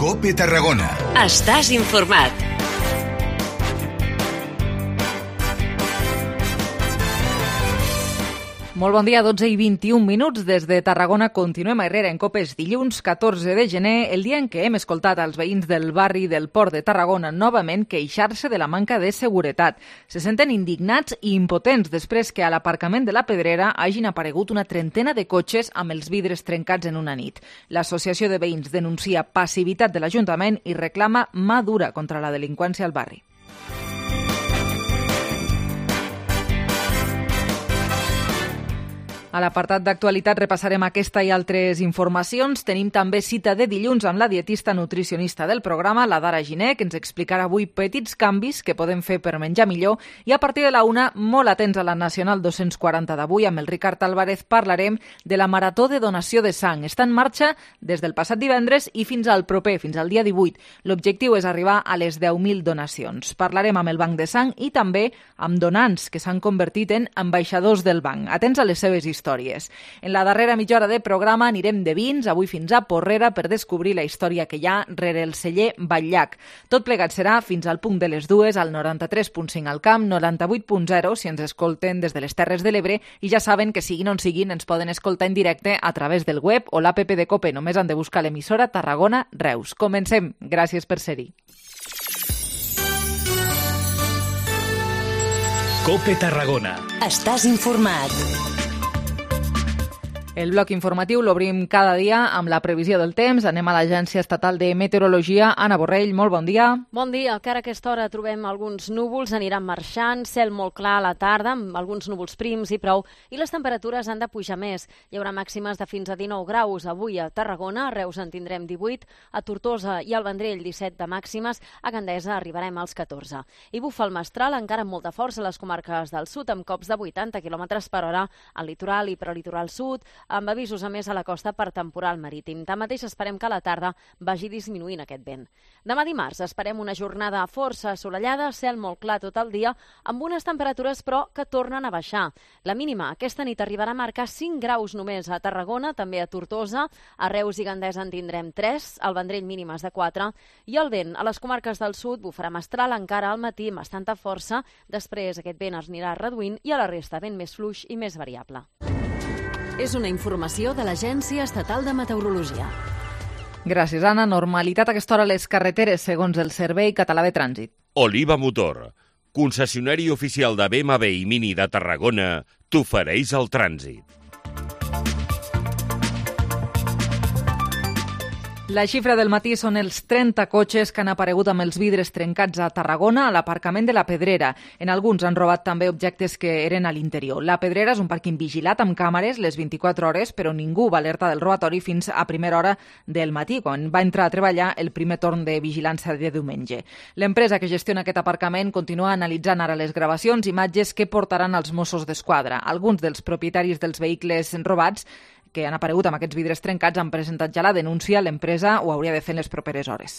COPE Tarragona. Estàs informat. Molt bon dia, 12 i 21 minuts. Des de Tarragona continuem a Herrera en COPE. És dilluns 14 de gener, el dia en què hem escoltat als veïns del barri del Port de Tarragona novament queixar-se de la manca de seguretat. Se senten indignats i impotents després que a l'aparcament de la Pedrera hagin aparegut una trentena de cotxes amb els vidres trencats en una nit. L'associació de veïns denuncia passivitat de l'Ajuntament i reclama mà dura contra la delinqüència al barri. A l'apartat d'actualitat repassarem aquesta i altres informacions. Tenim també cita de dilluns amb la dietista nutricionista del programa, la Dara Giner, que ens explicarà avui petits canvis que podem fer per menjar millor. I a partir de la 1, molt atents a la Nacional 240 d'avui, amb el Ricard Álvarez parlarem de la Marató de Donació de Sang. Està en marxa des del passat divendres i fins al proper, fins al dia 18. L'objectiu és arribar a les 10.000 donacions. Parlarem amb el Banc de Sang i també amb donants que s'han convertit en ambaixadors del banc. Atents a les seves històries. En la darrera mitja hora de programa anirem de vins, avui fins a Porrera, per descobrir la història que hi ha rere el celler Batllac. Tot plegat serà fins al punt de les 2 al 93.5 al Camp, 98.0 si ens escolten des de les Terres de l'Ebre, i ja saben que siguin on siguin ens poden escoltar en directe a través del web o l'app de COPE. Només han de buscar l'emissora Tarragona Reus. Comencem. Gràcies per ser-hi. COPE Tarragona. Estàs informat. El bloc informatiu l'obrim cada dia amb la previsió del temps. Anem a l'Agència Estatal de Meteorologia. Anna Borrell, molt bon dia. Bon dia. Encara a aquesta hora trobem alguns núvols, aniran marxant, cel molt clar a la tarda, amb alguns núvols prims i prou, i les temperatures han de pujar més. Hi haurà màximes de fins a 19 graus avui a Tarragona, a Reus en tindrem 18, a Tortosa i al Vendrell 17 de màximes, a Gandesa arribarem als 14. I bufa el mestral encara amb molta força a les comarques del sud, amb cops de 80 km per hora al litoral i prelitoral sud, amb avisos a més a la costa per temporal marítim. Tanmateix esperem que a la tarda vagi disminuint aquest vent. Demà dimarts esperem una jornada força assolellada, cel molt clar tot el dia, amb unes temperatures però que tornen a baixar. La mínima aquesta nit arribarà a marcar 5 graus només a Tarragona, també a Tortosa, a Reus i Gandesa en tindrem 3, al Vendrell mínimes de 4, i el vent a les comarques del sud bufarà mestral encara al matí amb bastanta força, després aquest vent es anirà reduint i a la resta vent més fluix i més variable. És una informació de l'Agència Estatal de Meteorologia. Gràcies, Anna. Normalitat a aquesta hora a les carreteres, segons el Servei Català de Trànsit. Oliva Motor, concessionari oficial de BMW i Mini de Tarragona, t'ofereix el trànsit. La xifra del matí són els 30 cotxes que han aparegut amb els vidres trencats a Tarragona, a l'aparcament de la Pedrera. En alguns han robat també objectes que eren a l'interior. La Pedrera és un pàrquing vigilat amb càmeres les 24 hores, però ningú va alertar del robatori fins a primera hora del matí, quan va entrar a treballar el primer torn de vigilància de diumenge. L'empresa que gestiona aquest aparcament continua analitzant ara les gravacions, imatges que portaran als Mossos d'Esquadra. Alguns dels propietaris dels vehicles robats que han aparegut amb aquests vidres trencats han presentat ja la denúncia. L'empresa ho hauria de fer en les properes hores.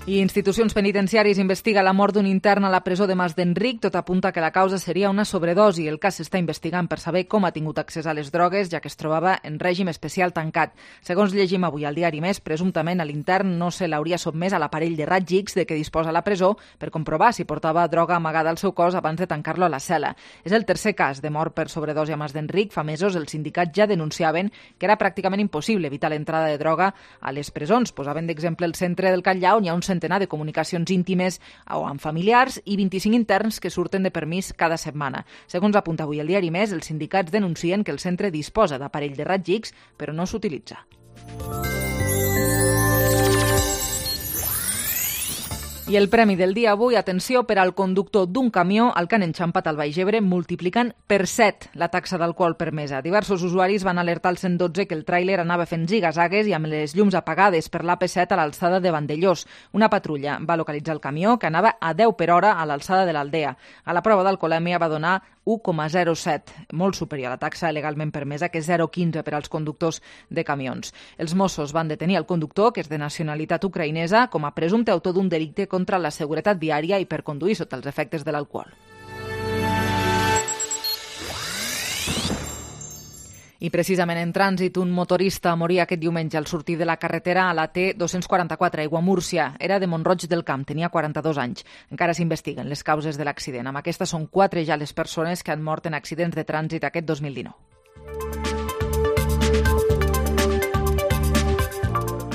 I institucions penitenciàries investiga la mort d'un intern a la presó de Mas d'Enric. Tot apunta que la causa seria una sobredosi. El cas s'està investigant per saber com ha tingut accés a les drogues, ja que es trobava en règim especial tancat. Segons llegim avui al diari Més, presumptament a l'intern no se l'hauria sotmès a l'aparell de raigs X de què disposa la presó per comprovar si portava droga amagada al seu cos abans de tancar-lo a la cel·la. És el tercer cas de mort per sobredosi a Mas d'Enric. Fa mesos els sindicats ja denunciaven que era pràcticament impossible evitar l'entrada de droga a les presons. Posaven d'exemple el centre del Catllar, on hi ha un centenar de comunicacions íntimes o amb familiars i 25 interns que surten de permís cada setmana. Segons apunta avui el diari Més, els sindicats denuncien que el centre disposa d'aparell de raigs X, però no s'utilitza. I el premi del dia avui, atenció, per al conductor d'un camió al que han enxampat al Baix Ebre, multiplicant per 7 la taxa d'alcohol permesa. Diversos usuaris van alertar al 112 que el tràiler anava fent zigazagues i amb les llums apagades per l'AP7 a l'alçada de Vandellós. Una patrulla va localitzar el camió, que anava a 10 per hora a l'alçada de l'Aldea. A la prova d'alcoholèmia va donar 1,07, molt superior a la taxa legalment permesa, que és 0,15 per als conductors de camions. Els Mossos van detenir el conductor, que és de nacionalitat ucraïnesa, com a presumpte autor d'un delicte contra la seguretat viària i per conduir sota els efectes de l'alcohol. I precisament en trànsit, un motorista moria aquest diumenge al sortir de la carretera a la T244 Aiguamúrcia. Era de Mont-roig del Camp, tenia 42 anys. Encara s'investiguen les causes de l'accident. Amb aquestes són 4 ja les persones que han mort en accidents de trànsit aquest 2019.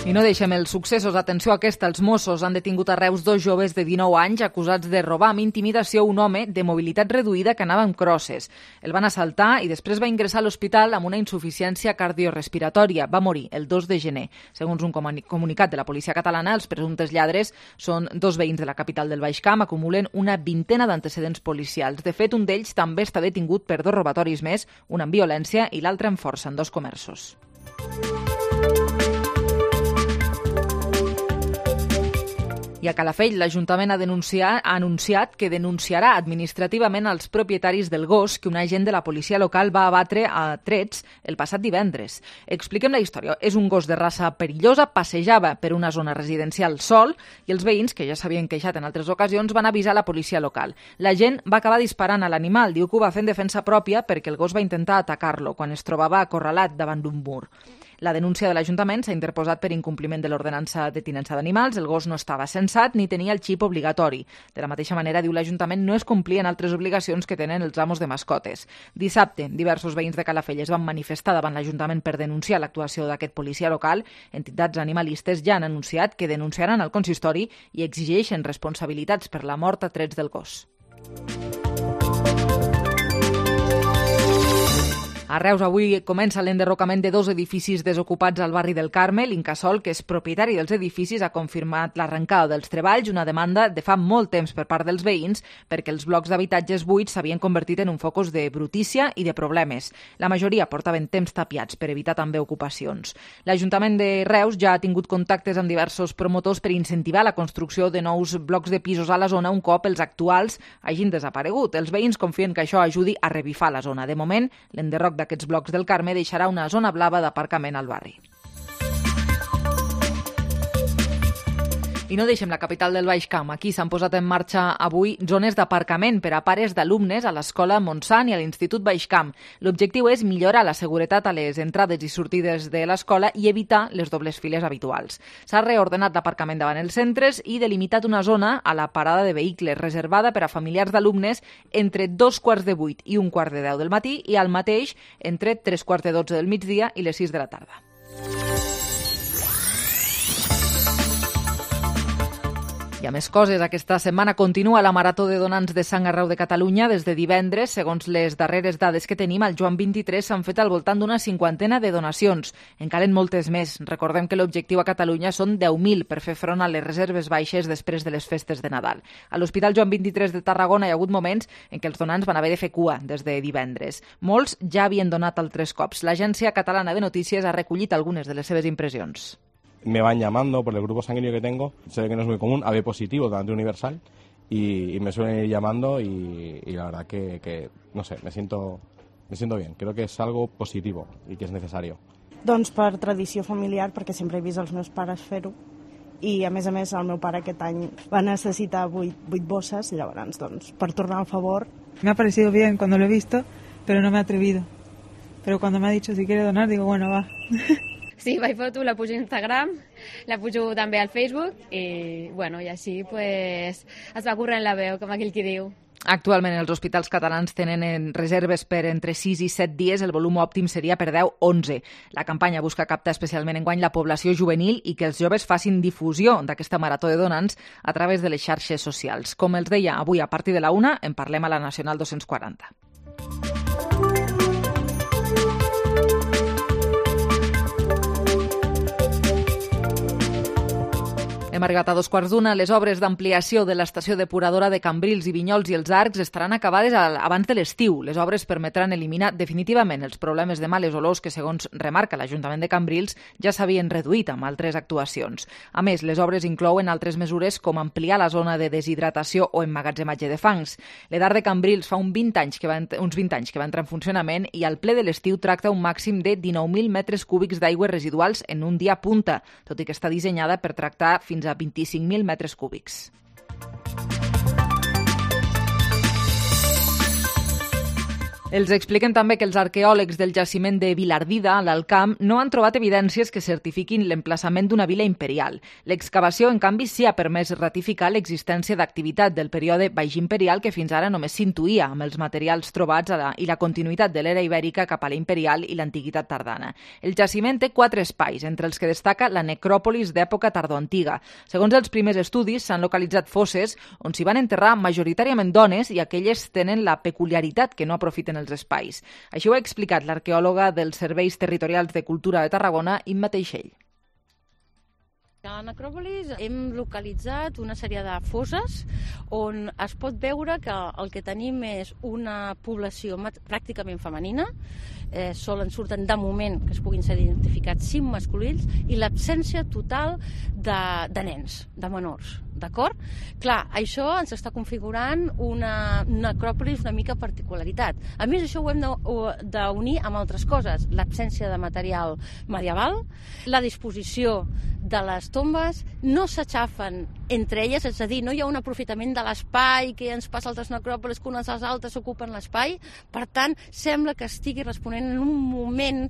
I no deixem els successos. Atenció a aquesta. Els Mossos han detingut a Reus 2 joves de 19 anys acusats de robar amb intimidació un home de mobilitat reduïda que anava amb crosses. El van assaltar i després va ingressar a l'hospital amb una insuficiència cardiorespiratòria. Va morir el 2 de gener. Segons un comunicat de la policia catalana, els presumptes lladres són 2 veïns de la capital del Baix Camp, acumulen una vintena d'antecedents policials. De fet, un d'ells també està detingut per 2 robatoris més, un amb violència i l'altre amb força en 2 comerços. I a Calafell, l'Ajuntament ha anunciat que denunciarà administrativament els propietaris del gos que un agent de la policia local va abatre a trets el passat divendres. Expliquem la història. És un gos de raça perillosa, passejava per una zona residencial sol i els veïns, que ja s'havien queixat en altres ocasions, van avisar la policia local. L'agent va acabar disparant a l'animal. Diu que ho va fer en defensa pròpia perquè el gos va intentar atacar-lo quan es trobava acorralat davant d'un mur. La denúncia de l'Ajuntament s'ha interposat per incompliment de l'ordenança de tinença d'animals. El gos no estava censat ni tenia el xip obligatori. De la mateixa manera, diu l'Ajuntament, no es complien altres obligacions que tenen els amos de mascotes. Dissabte, diversos veïns de Calafell es van manifestar davant l'Ajuntament per denunciar l'actuació d'aquest policia local. Entitats animalistes ja han anunciat que denunciaran al consistori i exigeixen responsabilitats per la mort a trets del gos. A Reus avui comença l'enderrocament de 2 edificis desocupats al barri del Carme. L'Incasòl, que és propietari dels edificis, ha confirmat l'arrencada dels treballs, una demanda de fa molt temps per part dels veïns perquè els blocs d'habitatges buits s'havien convertit en un focus de brutícia i de problemes. La majoria portaven temps tapiats per evitar també ocupacions. L'Ajuntament de Reus ja ha tingut contactes amb diversos promotors per incentivar la construcció de nous blocs de pisos a la zona un cop els actuals hagin desaparegut. Els veïns confien que això ajudi a revifar la zona. De moment, l'enderroc d'aquests blocs del Carme deixarà una zona blava d'aparcament al barri. I no deixem la capital del Baix Camp. Aquí s'han posat en marxa avui zones d'aparcament per a pares d'alumnes a l'Escola Montsant i a l'Institut Baix Camp. L'objectiu és millorar la seguretat a les entrades i sortides de l'escola i evitar les dobles files habituals. S'ha reordenat l'aparcament davant els centres i delimitat una zona a la parada de vehicles reservada per a familiars d'alumnes entre 2:15 i 1:10 del matí i al mateix entre 3:12 del migdia i les 6 de la tarda. Hi ha més coses. Aquesta setmana continua la Marató de Donants de Sang arreu de Catalunya des de divendres. Segons les darreres dades que tenim, al Joan 23 s'han fet al voltant d'una 50ena de donacions. En calen moltes més. Recordem que l'objectiu a Catalunya són 10.000 per fer front a les reserves baixes després de les festes de Nadal. A l'Hospital Joan 23 de Tarragona hi ha hagut moments en què els donants van haver de fer cua des de divendres. Molts ja havien donat altres cops. L'Agència Catalana de Notícies ha recollit algunes de les seves impressions. Me van llamando por el grupo sanguíneo que tengo, se ve que no es muy común, AB positivo, donante universal, y me suelen ir llamando y la verdad que no sé, me siento bien. Creo que és algo positivo i que és necessari. Doncs per tradició familiar, perquè sempre he vist els meus pares fer-ho, i a més el meu pare aquest any va necessitar 8 bosses, i llavors, doncs, per tornar al favor. Me ha parecido bien cuando lo he visto, pero no me he atrevido. Pero cuando me ha dicho si quiere donar, digo, bueno, va. Sí, vaig foto, la pujo a Instagram, la pujo també al Facebook i, bueno, i així pues, es va corrent la veu, com aquell qui diu. Actualment els hospitals catalans tenen reserves per entre 6 i 7 dies, el volum òptim seria per 10-11. La campanya busca captar especialment enguany la població juvenil i que els joves facin difusió d'aquesta marató de donants a través de les xarxes socials. Com els deia, avui a partir de la 1 en parlem a la Nacional 240. Hem arribat a 2:15. Les obres d'ampliació de l'estació depuradora de Cambrils i Vinyols i els Arcs estaran acabades abans de l'estiu. Les obres permetran eliminar definitivament els problemes de males olors que, segons remarca l'Ajuntament de Cambrils, ja s'havien reduït amb altres actuacions. A més, les obres inclouen altres mesures com ampliar la zona de deshidratació o emmagatzematge de fangs. L'EDAR de Cambrils fa uns 20 anys que va entrar en funcionament i al ple de l'estiu tracta un màxim de 19.000 metres cúbics d'aigües residuals en un dia punta, tot i que està dissenyada per tractar fins a 25.000 metres cúbics. Els expliquen també que els arqueòlegs del jaciment de Vilardida, a l'Alt Camp, no han trobat evidències que certifiquin l'emplaçament d'una vila imperial. L'excavació, en canvi, sí ha permès ratificar l'existència d'activitat del període baix imperial que fins ara només s'intuïa amb els materials trobats i la continuïtat de l'era ibèrica cap a l'imperial i l'antiguitat tardana. El jaciment té 4 espais, entre els que destaca la necròpolis d'època tardoantiga. Segons els primers estudis, s'han localitzat fosses on s'hi van enterrar majoritàriament dones i aquelles tenen la peculiaritat que no aprofiten els espais. Així ho ha explicat l'arqueòloga dels Serveis Territorials de Cultura de Tarragona, Imma Teixell. A la necròpolis hem localitzat una sèrie de fosses on es pot veure que el que tenim és una població pràcticament femenina, solen surten de moment que es puguin ser identificats 5 masculins i l'absència total de nens, de menors, d'acord? Clar, això ens està configurant una necròpolis una mica particularitat. A més, això ho hem d'unir amb altres coses, l'absència de material medieval, la disposició de les tombes, no s'aixafen entre elles, és a dir, no hi ha un aprofitament de l'espai que ens passa a altres necròpolis que unes a les altres ocupen l'espai, per tant, sembla que estigui responent en un moment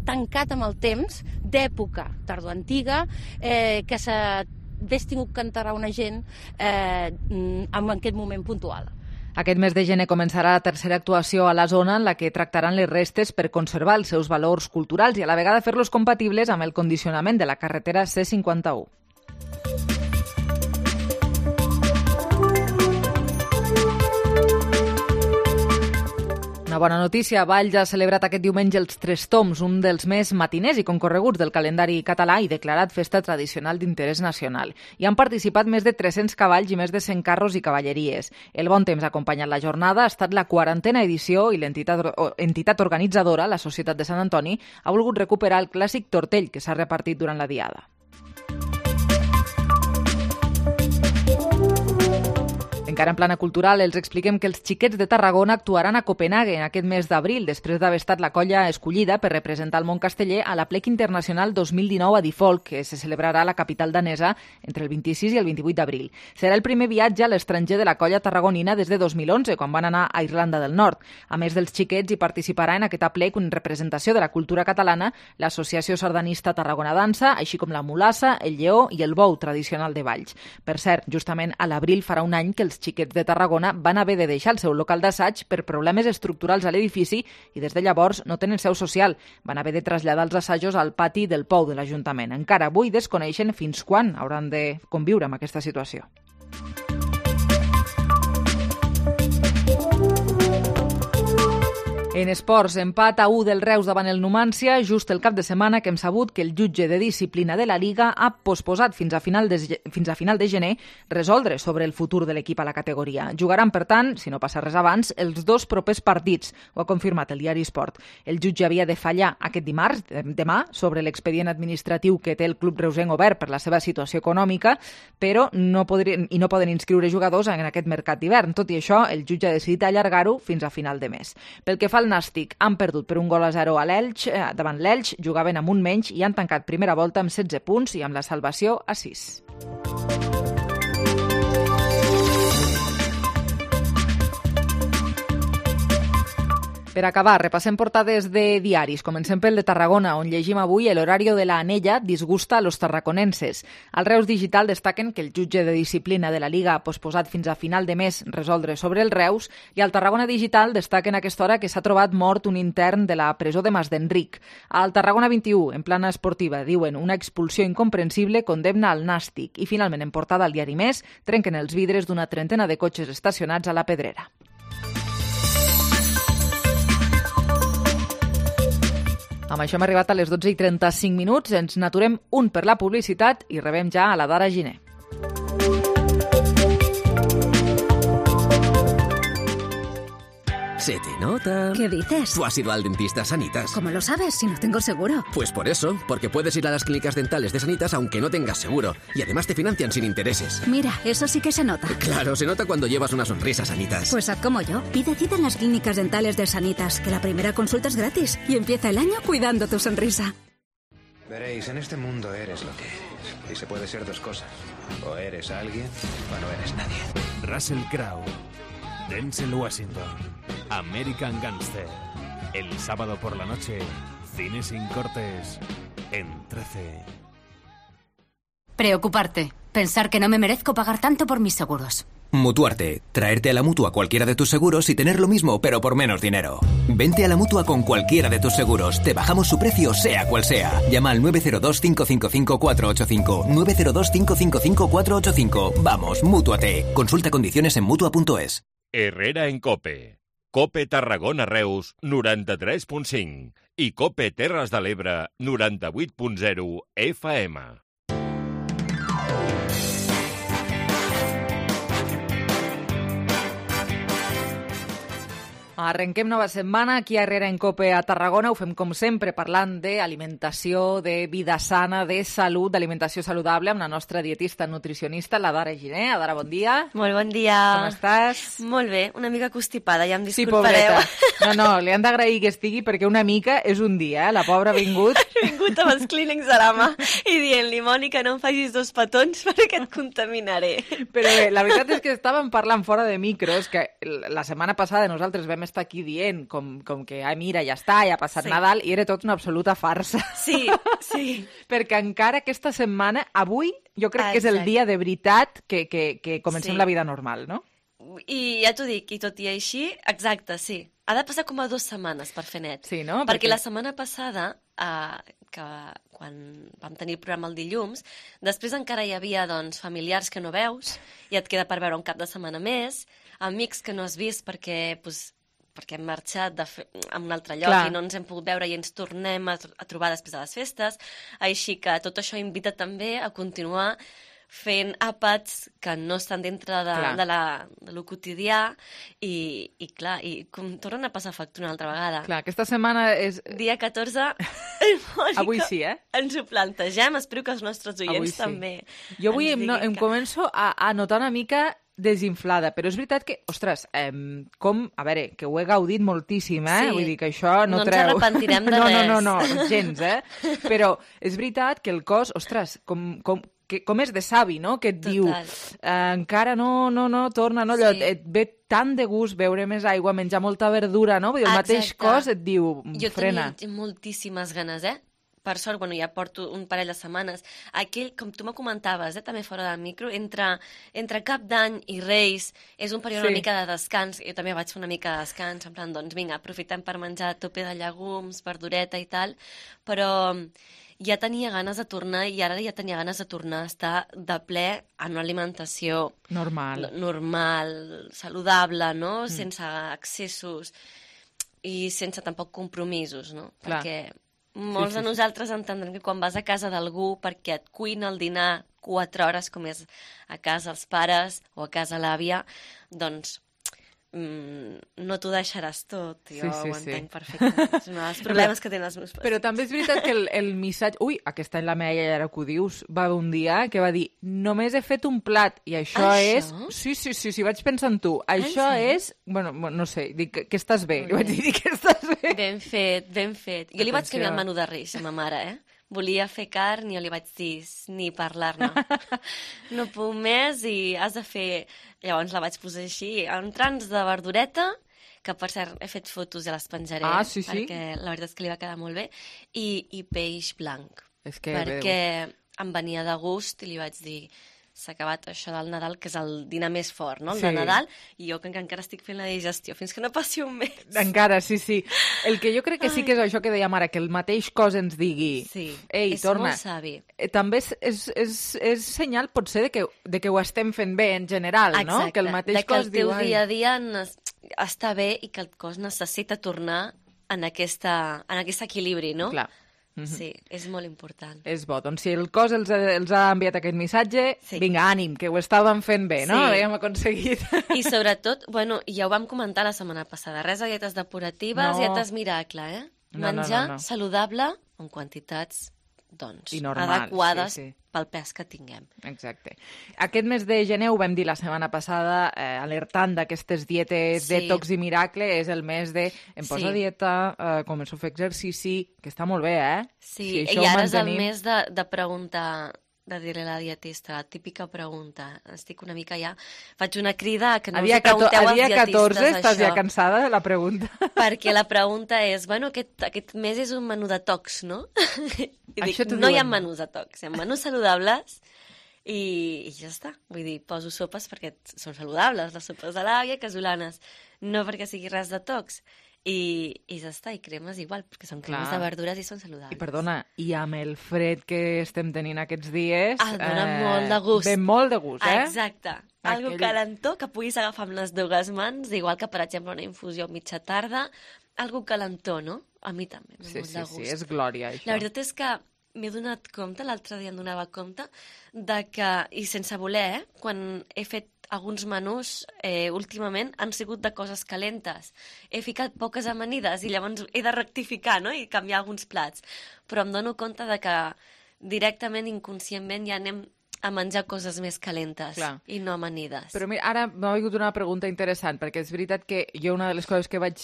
tancat amb el temps, d'època tardoantiga, que s'hagués tingut que enterrar una gent en aquest moment puntual. Aquest mes de gener començarà la tercera actuació a la zona en la que tractaran les restes per conservar els seus valors culturals i a la vegada fer-los compatibles amb el condicionament de la carretera C51. Una bona notícia, Valls ha celebrat aquest diumenge els Tres Tombs, un dels més matiners i concorreguts del calendari català i declarat festa tradicional d'interès nacional. Hi han participat més de 300 cavalls i més de 100 carros i cavalleries. El bon temps ha acompanyat la jornada, ha estat la 40a edició i l'entitat organitzadora, la Societat de Sant Antoni, ha volgut recuperar el clàssic tortell que s'ha repartit durant la diada. Encara en plana cultural, els expliquem que els Xiquets de Tarragona actuaran a Copenhague aquest mes d'abril, després d'haver estat la colla escollida per representar el món casteller a la Plec Internacional 2019 a Difolc, que se celebrarà a la capital danesa entre el 26 i el 28 d'abril. Serà el primer viatge a l'estranger de la colla tarragonina des de 2011, quan van anar a Irlanda del Nord. A més dels Xiquets, hi participarà en aquesta Plec en representació de la cultura catalana l'Associació Sardanista Tarragona Dansa, així com la mulassa, el lleó i el bou tradicional de Valls. Per cert, justament a l'abril farà un any que els Xiquets de Tarragona van haver de deixar el seu local d'assaig per problemes estructurals a l'edifici i des de llavors no tenen seu social. Van haver de traslladar els assajos al pati del Pou de l'Ajuntament. Encara avui desconeixen fins quan hauran de conviure amb aquesta situació. En esports, empat a 1 del Reus davant el Numància, just el cap de setmana que hem sabut que el jutge de disciplina de la Liga ha posposat fins a final de gener resoldre sobre el futur de l'equip a la categoria. Jugaran, per tant, si no passa res abans, els 2 propers partits, ho ha confirmat el diari Esport. El jutge havia de fallar aquest dimarts, demà, sobre l'expedient administratiu que té el club reusenc obert per la seva situació econòmica, però no poden inscriure jugadors en aquest mercat d'hivern. Tot i això, el jutge ha decidit allargar-ho fins a final de mes. Pel que fa al Nàstic, han perdut per 1-0 a l'Elx, davant l'Elx, jugaven amb un menys i han tancat primera volta amb 16 punts i amb la salvació a 6. Per acabar, repassem portades de diaris. Comencem pel de Tarragona, on llegim avui el horario de la Anella disgusta a los tarraconenses. Al Reus Digital destaquen que el jutge de disciplina de la Liga ha posposat fins a final de mes resoldre sobre el Reus i al Tarragona Digital destaquen a aquesta hora que s'ha trobat mort un intern de la presó de Mas d'Enric. Al Tarragona 21, en plana esportiva, diuen una expulsió incomprensible condemna al Nàstic i finalment en portada al diari Més trenquen els vidres d'una trentena de cotxes estacionats a la Pedrera. Amb això hem arribat a les 12:35, ens n'aturem un per la publicitat i rebem ja a la Dara Giner. Se te nota. ¿Qué dices? Tú has ido al dentista Sanitas. ¿Cómo lo sabes si no tengo seguro? Pues por eso, porque puedes ir a las clínicas dentales de Sanitas aunque no tengas seguro. Y además te financian sin intereses. Mira, eso sí que se nota. Claro, se nota cuando llevas una sonrisa, Sanitas. Pues haz como yo. Pide cita en las clínicas dentales de Sanitas, que la primera consulta es gratis. Y empieza el año cuidando tu sonrisa. Veréis, en este mundo eres lo que eres. Y se puede ser 2 cosas. O eres alguien o no eres nadie. Russell Crowe, Denzel Washington, American Gangster. El sábado por la noche, cine sin cortes en 13. Preocuparte. Pensar que no me merezco pagar tanto por mis seguros. Mutuarte. Traerte a la Mutua cualquiera de tus seguros y tener lo mismo, pero por menos dinero. Vente a la Mutua con cualquiera de tus seguros. Te bajamos su precio, sea cual sea. Llama al 902-555-485. 902-555-485. Vamos, mútuate. Consulta condiciones en Mutua.es. Herrera en COPE. COPE Tarragona Reus 93.5 i COPE Terres de l'Ebre 98.0 FM. Arrenquem nova setmana aquí a Herrera en COPE a Tarragona. Ho fem com sempre parlant d'alimentació, de vida sana, de salut, d'alimentació saludable amb la nostra dietista nutricionista, la Dara Giner. Dara, bon dia. Molt bon dia. Com estàs? Molt bé, una mica constipada, ja em Sí, disculpareu. pobreta. No, li han d'agrair que estigui perquè una mica és un dia, La pobra ha vingut. He vingut amb els clínex a la mà i dient-li, Mònica, no em facis 2 petons perquè et contaminaré. Però bé, la veritat és que estàvem parlant fora de micros, que la setmana passada nosaltres vam estar aquí dient com que, mira, ja està, ja ha passat Nadal, i era tot una absoluta farsa. Sí, sí. Perquè encara aquesta setmana, avui, jo crec que és el dia de veritat que comencem la vida normal, no? I ja t'ho dic, i tot i així, exacte, sí. Ha de passar com a 2 setmanes per fer net. Sí, no? Perquè la setmana passada, que quan vam tenir el programa el dilluns, després encara hi havia doncs, familiars que no veus, i et queda per veure un cap de setmana més, amics que no has vist perquè hem marxat a un altre lloc. Clar. I no ens hem pogut veure i ens tornem a trobar després de les festes. Així que tot això invita també a continuar fent àpats que no estan dintre de lo quotidià i clar, i tornen a passar factura una altra vegada. Clar, aquesta setmana és... Dia 14, avui sí, ens ho plantegem, espero que els nostres oients també. Jo avui em començo a notar una mica desinflada, però és veritat que, ostres, a veure, que ho he gaudit moltíssim, Sí. Vull dir que això no treu... ens arrepentirem de res. No, gens, Però és veritat que el cos, ostres, com és de savi, no?, que et diu, encara no, torna, no, allò, et ve tant de gust beure més aigua, menjar molta verdura, no? Vull dir, el mateix cos et diu, frena. Jo tenia moltíssimes ganes, Per sort, ja porto un parell de setmanes. Aquell, com tu me comentaves, també fora del micro, entre Cap d'Any i Reis és un període una mica de descans. Jo també vaig fer una mica de descans, en plan, doncs vinga, aprofitem per menjar a tope de llegums, verdureta i tal, però ja tenia ganes de tornar i ara ja tenia ganes de tornar a estar de ple en una alimentació normal, saludable, no? Sense excessos i sense tampoc compromisos, no? Clar. Perquè molts de nosaltres entendrem que quan vas a casa d'algú perquè et cuina el dinar 4 hores, com és a casa els pares o a casa l'àvia, doncs no t'ho deixaràs tot. Jo ho entenc perfectament. És un dels problemes que tenen els meus pares. Però també és veritat que el missatge... Ui, aquest any la meva iaia, ara que ho dius, va haver un dia que va dir només he fet un plat i això és... Sí, vaig pensar en tu. Això és... Bueno, no sé, dic que estàs bé. Li vaig dir que estàs bé. Ben fet. Jo li vaig canviar el menú de Reis a ma mare, Volia fer carn i jo li vaig dir ni parlar-ne. No puc més i has de fer... Llavors la vaig posar així, entrants de verdureta, que per cert he fet fotos i les penjaré, perquè la veritat és que li va quedar molt bé, i peix blanc. Perquè em venia de gust i li vaig dir... S'ha acabat això del Nadal, que és el dinar més fort, no? El de Nadal, i jo que encara estic fent la digestió fins que no passi un mes. Encara, sí. El que jo crec que sí que és això que dèiem ara, que el mateix cos ens digui ei, torna. És molt savi. També és senyal, potser, de que ho estem fent bé en general, no? Exacte, que el mateix cos diu... que el teu dia a dia està bé i que el cos necessita tornar en aquest equilibri, no? Clar. Sí, és molt important. És bo. Doncs si el cos els ha enviat aquest missatge, vinga, ànim, que ho estàvem fent bé, no? L'hem aconseguit. I sobretot, ja ho vam comentar la setmana passada, res de dietes depuratives, dietes miracle, Menjar saludable en quantitats adequades pel pes que tinguem. Exacte. Aquest mes de gener, ho vam dir la setmana passada, alertant d'aquestes dietes detox i miracle, és el mes de em poso a dieta, començo a fer exercici, que està molt bé, Sí, i ara és el mes de preguntar de dir-li a la dietista, la típica pregunta. Estic una mica ja... Faig una crida que no a dia, us pregunteu als dia dietistes 14 estàs això. ja cansada de la pregunta. Perquè la pregunta és, bueno, aquest mes és un menú detox, no? I dic, no hi ha menús detox, hi ha menús saludables i ja està. Vull dir, poso sopes perquè són saludables, les sopes de l'àvia, casolanes, no perquè sigui res detox. I ja està, i cremes igual, perquè són cremes de verdures i són saludables. I perdona, i amb el fred que estem tenint aquests dies... dona molt de gust. Ve molt de gust, Exacte. Algo calentó que puguis agafar amb les dues mans, igual que, per exemple, una infusió mitja tarda, algo calentó, no? A mi també, molt de gust. Sí, és glòria, això. La veritat és que m'he donat compte, l'altre dia em donava compte, de que, i sense voler, quan he fet alguns menús últimament han sigut de coses calentes. He ficat poques amanides i llavors he de rectificar, no?, i canviar alguns plats. Però em dono compte de que directament, inconscientment, ja anem a menjar coses més calentes i no amanides. Però mira, ara m'ha vingut una pregunta interessant, perquè és veritat que jo una de les coses que vaig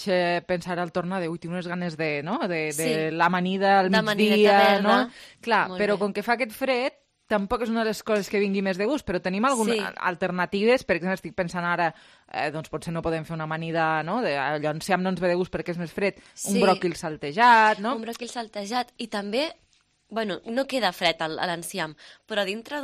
pensar al tornar tinc unes ganes de l'amanida al migdia, no? Clar, però com que fa aquest fred, tampoc és una de les coses que vingui més de gust, però tenim algunes alternatives. Per exemple, estic pensant ara, doncs potser no podem fer una amanida, no? L'enciam no ens ve de gust perquè és més fred. Un bròquil saltejat, no? Un bròquil saltejat. I també, bueno, no queda fred a l'enciam, però dintre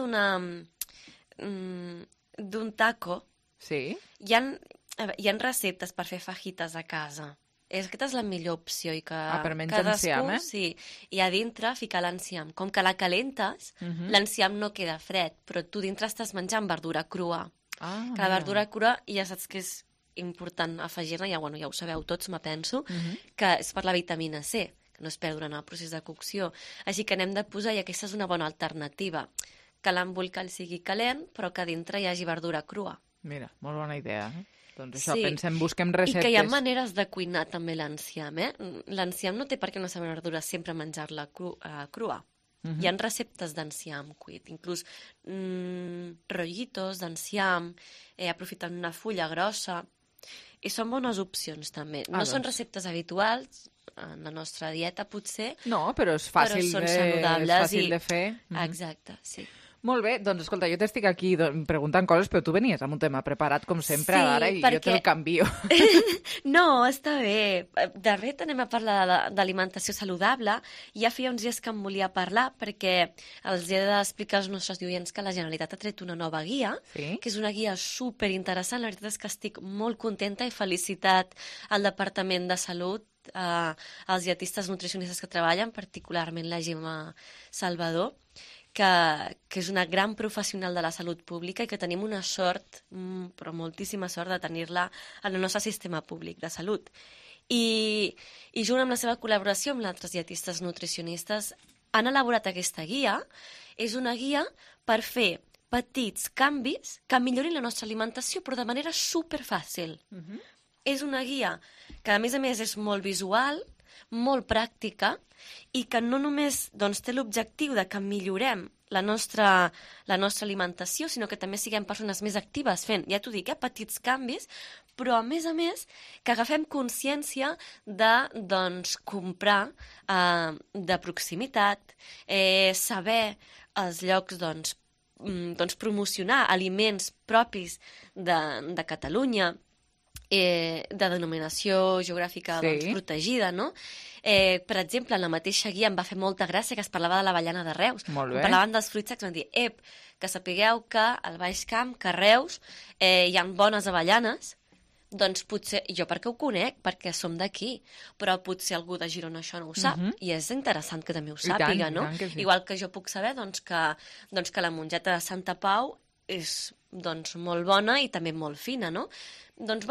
d'un taco hi ha receptes per fer fajitas a casa. Aquesta és la millor opció i que per menjar enciam, i a dintre ficar l'enciam. Com que la calentes, l'enciam no queda fred, però tu dintre estàs menjant verdura crua. Que la verdura crua ja saps que és important afegir-ne, ja ho sabeu tots, me penso, que és per la vitamina C, que no es perd durant el procés de cocció. Així que n'hem de posar, i aquesta és una bona alternativa, que l'embolcall sigui calent, però que dintre hi hagi verdura crua. Mira, molt bona idea, Doncs això, busquem receptes. I que hi ha maneres de cuinar també l'enciam, L'enciam no té per què no saber verdura sempre menjar-la crua. Hi ha receptes d'enciam cuit, inclús rollitos d'enciam, aprofitant una fulla grossa, i són bones opcions també. No són receptes habituals en la nostra dieta, potser. No, però és fàcil, són saludables, és fàcil de fer. Exacte, sí. Molt bé, doncs escolta, jo t'estic aquí preguntant coses, però tu venies amb un tema preparat, com sempre, ara, i jo te'l canvio. No, està bé. De fet, anem a parlar d'alimentació saludable. Ja feia uns dies que em volia parlar, perquè els he d'explicar als nostres oients que la Generalitat ha tret una nova guia, que és una guia superinteressant. La veritat és que estic molt contenta i felicitat al Departament de Salut, als dietistes nutricionistes que treballen, particularment la Gemma Salvador, que és una gran professional de la salut pública i que tenim una sort, però moltíssima sort, de tenir-la en el nostre sistema públic de salut. I junt amb la seva col·laboració amb altres dietistes nutricionistes han elaborat aquesta guia. És una guia per fer petits canvis que millorin la nostra alimentació, però de manera superfàcil. És una guia que, a més, és molt visual, molt pràctica, i que no només té l'objectiu de que millorem la nostra alimentació, sinó que també siguem persones més actives fent, ja t'ho dic, petits canvis, però a més, que agafem consciència de comprar de proximitat, saber els llocs promocionar aliments propis de Catalunya, de denominació geogràfica protegida, no? Per exemple, en la mateixa guia em va fer molta gràcia que es parlava de l'avellana de Reus. Parlaven dels fruits secs, van dir, que sapigueu que al Baix Camp, que a Reus, hi ha bones avellanes, doncs potser, jo perquè ho conec, perquè som d'aquí, però potser algú de Girona això no ho sap, i és interessant que també ho sàpiga, no? Igual que jo puc saber que la mongeta de Santa Pau és molt bona i també molt fina, no? Doncs,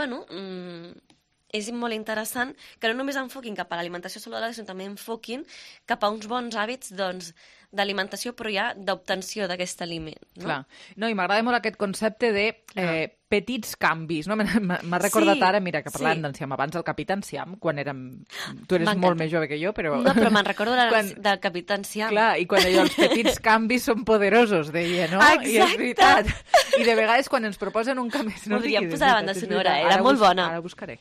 és molt interessant que no només enfoquin cap a l'alimentació saludable, sinó també enfoquin cap a uns bons hàbits d'alimentació, però ja d'obtenció d'aquest aliment. No? Clar. No, i m'agrada molt aquest concepte de petits canvis, no? M'ha recordat ara, mira, que parlàvem sí. d'Enciam abans, el Capità Enciam, quan érem... Tu eres molt més jove que jo, però... No, però me'n recordo del Capità Enciam. Clar, i quan allò, els petits canvis són poderosos, deia, no? Exacte. I és veritat. I de vegades quan ens proposen un canvi... Podríem posar la banda sonora, era molt bona. Ara buscaré.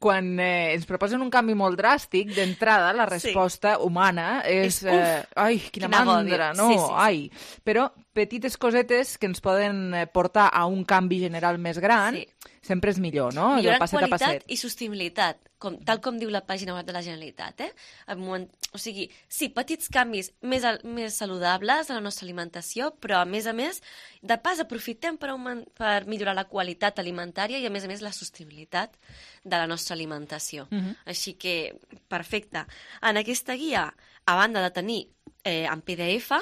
Quan ens proposen un canvi molt dràstic, d'entrada, la resposta humana és... ai, quina mandra, no? Sí. Ai. Però petites cosetes que ens poden portar a un canvi general més gran, sempre és millor, no? Millorant qualitat i sostenibilitat, tal com diu la pàgina web de la Generalitat. O sigui, sí, petits canvis més saludables a la nostra alimentació, però a més, de pas aprofitem per millorar la qualitat alimentària i a més la sostenibilitat de la nostra alimentació. Així que, perfecte. En aquesta guia, a banda de tenir en PDF,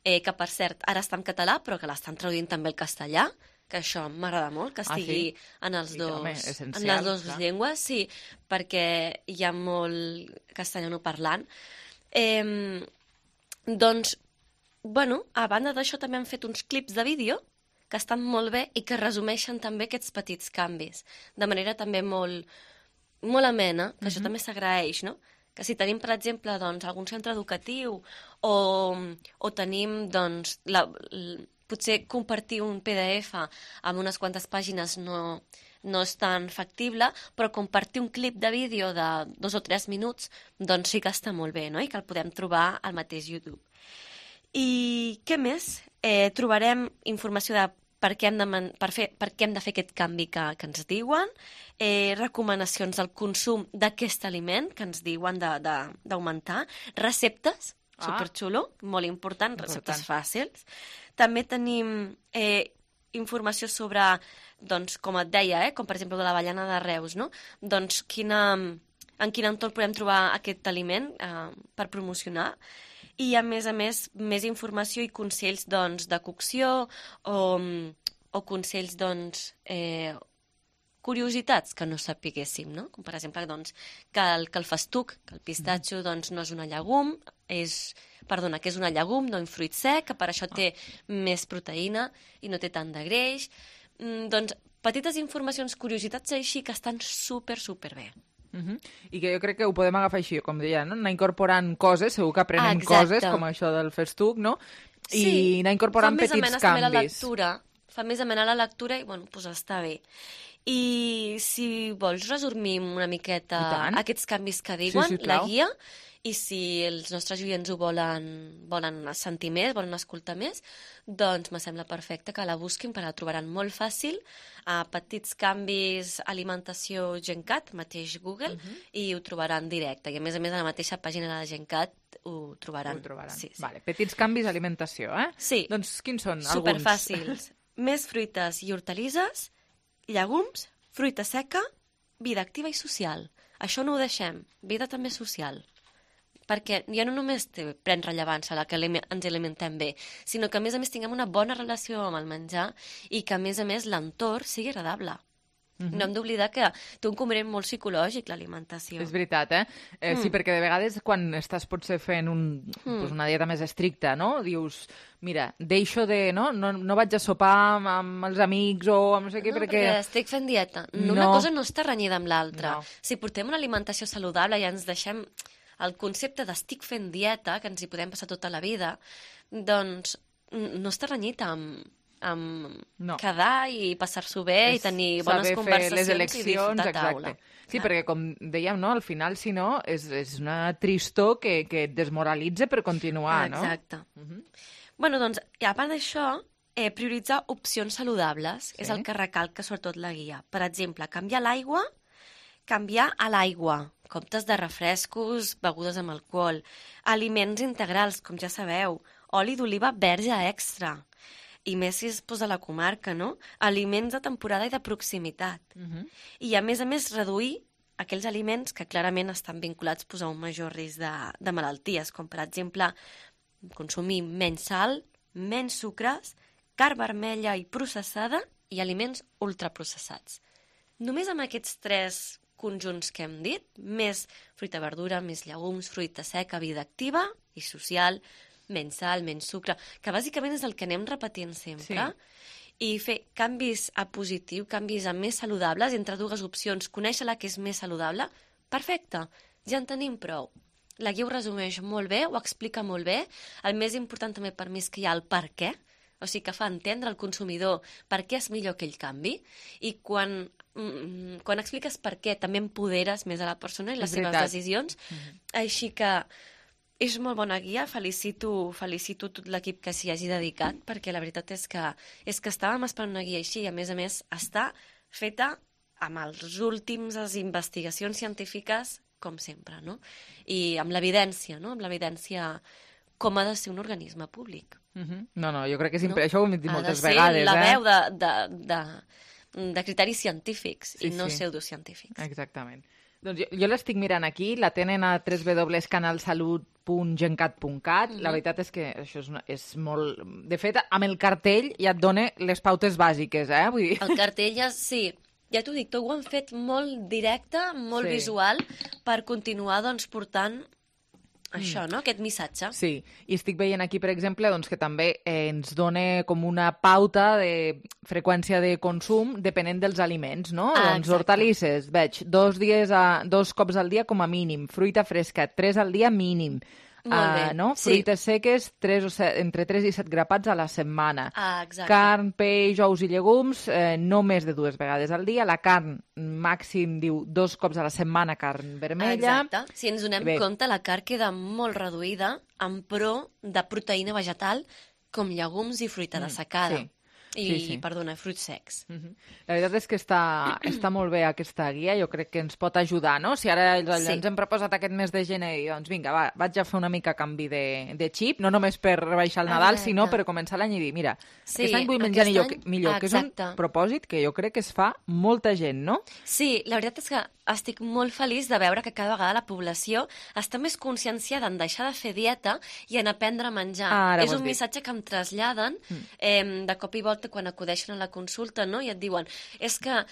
que per cert ara està en català però que l'estan traduint també al castellà, que això m'agrada molt, que estigui en les dues llengües, sí, perquè hi ha molt castellanoparlant. Doncs, bueno, a banda d'això també han fet uns clips de vídeo que estan molt bé i que resumeixen també aquests petits canvis, de manera també molt amena, que això també s'agraeix, no? Que si tenim, per exemple, doncs, algun centre educatiu o tenim, doncs, potser compartir un PDF amb unes quantes pàgines no és tan factible, però compartir un clip de vídeo de 2 o 3 minuts, doncs sí que està molt bé, no? I que el podem trobar al mateix YouTube. I què més? Trobarem informació de per què hem de fer aquest canvi que ens diuen, recomanacions del consum d'aquest aliment que ens diuen d'augmentar, receptes, superxulo, molt important, receptes fàcils. També tenim informació sobre, doncs, com et deia, com per exemple de l'avellana de Reus, no? Doncs en quin entorn podem trobar aquest aliment per promocionar. I, a més, més informació i consells, doncs, de cocció o consells, doncs, curiositats que no sapiguéssim, no? Com, per exemple, doncs, que el festuc, que el pistatxo, doncs, no és una llegum, que és una llegum, no un fruit sec, que per això té més proteïna i no té tant de greix. Doncs, petites informacions, curiositats així que estan super bé. I que jo crec que ho podem agafar així, com deia, no? Anar incorporant coses, segur que aprenem coses, com això del festuc, no? I anar incorporant petits canvis. Fa més amena la lectura i, bueno, doncs està bé. I si vols resumir una miqueta aquests canvis que diuen, la guia, i si els nostres oients ho volen sentir més, volen escoltar més, doncs me sembla perfecte que la busquin, perquè la trobaran molt fàcil, a petits canvis alimentació GenCat, mateix Google, i ho trobaran directe. I a més a la mateixa pàgina de GenCat ho trobaran. Sí. Vale, petits canvis alimentació, Sí. Doncs quins són alguns? Superfàcils. Més fruites i hortalisses, llegums, fruita seca, vida activa i social. Això no ho deixem, vida també social. Perquè ja no només pren rellevància la que ens alimentem bé, sinó que a més tinguem una bona relació amb el menjar i que a més l'entorn sigui agradable. No hem d'oblidar que té un component molt psicològic, l'alimentació. És veritat, Sí, perquè de vegades quan estàs potser fent una dieta més estricta, no? Dius, mira, deixo de... No vaig a sopar amb els amics o amb no sé què, perquè... estic fent dieta. Una cosa no està renyida amb l'altra. Si portem una alimentació saludable i ens deixem el concepte d'estic fent dieta, que ens hi podem passar tota la vida, doncs no està renyit amb quedar i passar-s'ho bé i tenir bones conversacions i disfrutar a taula. Sí, perquè com dèiem, al final, si no, és una tristor que et desmoralitza per continuar, no? Exacte. Bueno, doncs, a part d'això, prioritzar opcions saludables és el que recalca sobretot la guia. Per exemple, canviar a l'aigua, comptes de refrescos, begudes amb alcohol, aliments integrals, com ja sabeu, oli d'oliva verge extra, i més si es posa a la comarca, no? Aliments de temporada i de proximitat. I, a més, reduir aquells aliments que clarament estan vinculats a un major risc de malalties, com, per exemple, consumir menys sal, menys sucres, carn vermella i processada i aliments ultraprocessats. Només amb aquests 3 conjunts que hem dit, més fruita, verdura, més llegums, fruita seca, vida activa i social, menys sal, menys sucre, que bàsicament és el que anem repetint sempre. i fer canvis a positiu, canvis a més saludables, entre dues opcions, conèixer la que és més saludable, perfecte, ja en tenim prou. La guia ho resumeix molt bé, ho explica molt bé. El més important també per mi és que hi ha el per què, o sigui que fa entendre al consumidor per què és millor aquell canvi, i quan expliques per què també empoderes més a la persona i les seves decisions. Així que és molt bona guia, felicito tot l'equip que s'hi hagi dedicat, perquè la veritat és que estàvem esperant una guia així, i a més està feta amb les últimes investigacions científiques, com sempre, no? I amb l'evidència, no? Amb l'evidència com ha de ser un organisme públic. No, jo crec que això ho hem dit moltes vegades. Ha de ser la veu de criteris científics i no pseudocientífics. Exactament. Doncs jo l'estic mirant aquí, la tenen a www.canalsalut.gencat.cat. La veritat és que això és molt... De fet, amb el cartell ja et dona les pautes bàsiques, Vull dir... El cartell sí, ja t'ho dic, ho han fet molt directe, molt visual, per continuar portant això, no? Aquest missatge. Sí, i estic veient aquí, per exemple, que també ens dona com una pauta de freqüència de consum depenent dels aliments, no? Doncs hortalisses, veig, 2 cops al dia com a mínim, fruita fresca, 3 al dia mínim. No? Fruites seques, entre 3 i 7 grapats a la setmana. Carn, peix, ous i llegums, no més de 2 vegades al dia. La carn, màxim, diu, 2 cops a la setmana, carn vermella. Exacte. Si ens donem compte, la carn queda molt reduïda en pro de proteïna vegetal, com llegums i fruita dessecada. Perdona, fruits secs. La veritat és que està molt bé aquesta guia, jo crec que ens pot ajudar, no? Si ara ens hem proposat aquest mes de gener i doncs vinga, vaig a fer una mica canvi de xip, no només per rebaixar el Nadal, sinó per començar l'any i dir, mira, aquest any vull menjar millor, que és un propòsit que jo crec que es fa molta gent, no? Sí, la veritat és que estic molt feliç de veure que cada vegada la població està més conscienciada en deixar de fer dieta i en aprendre a menjar. És un missatge que em traslladen de cop i volta quan acudeixen a la consulta, no? I et diuen, és que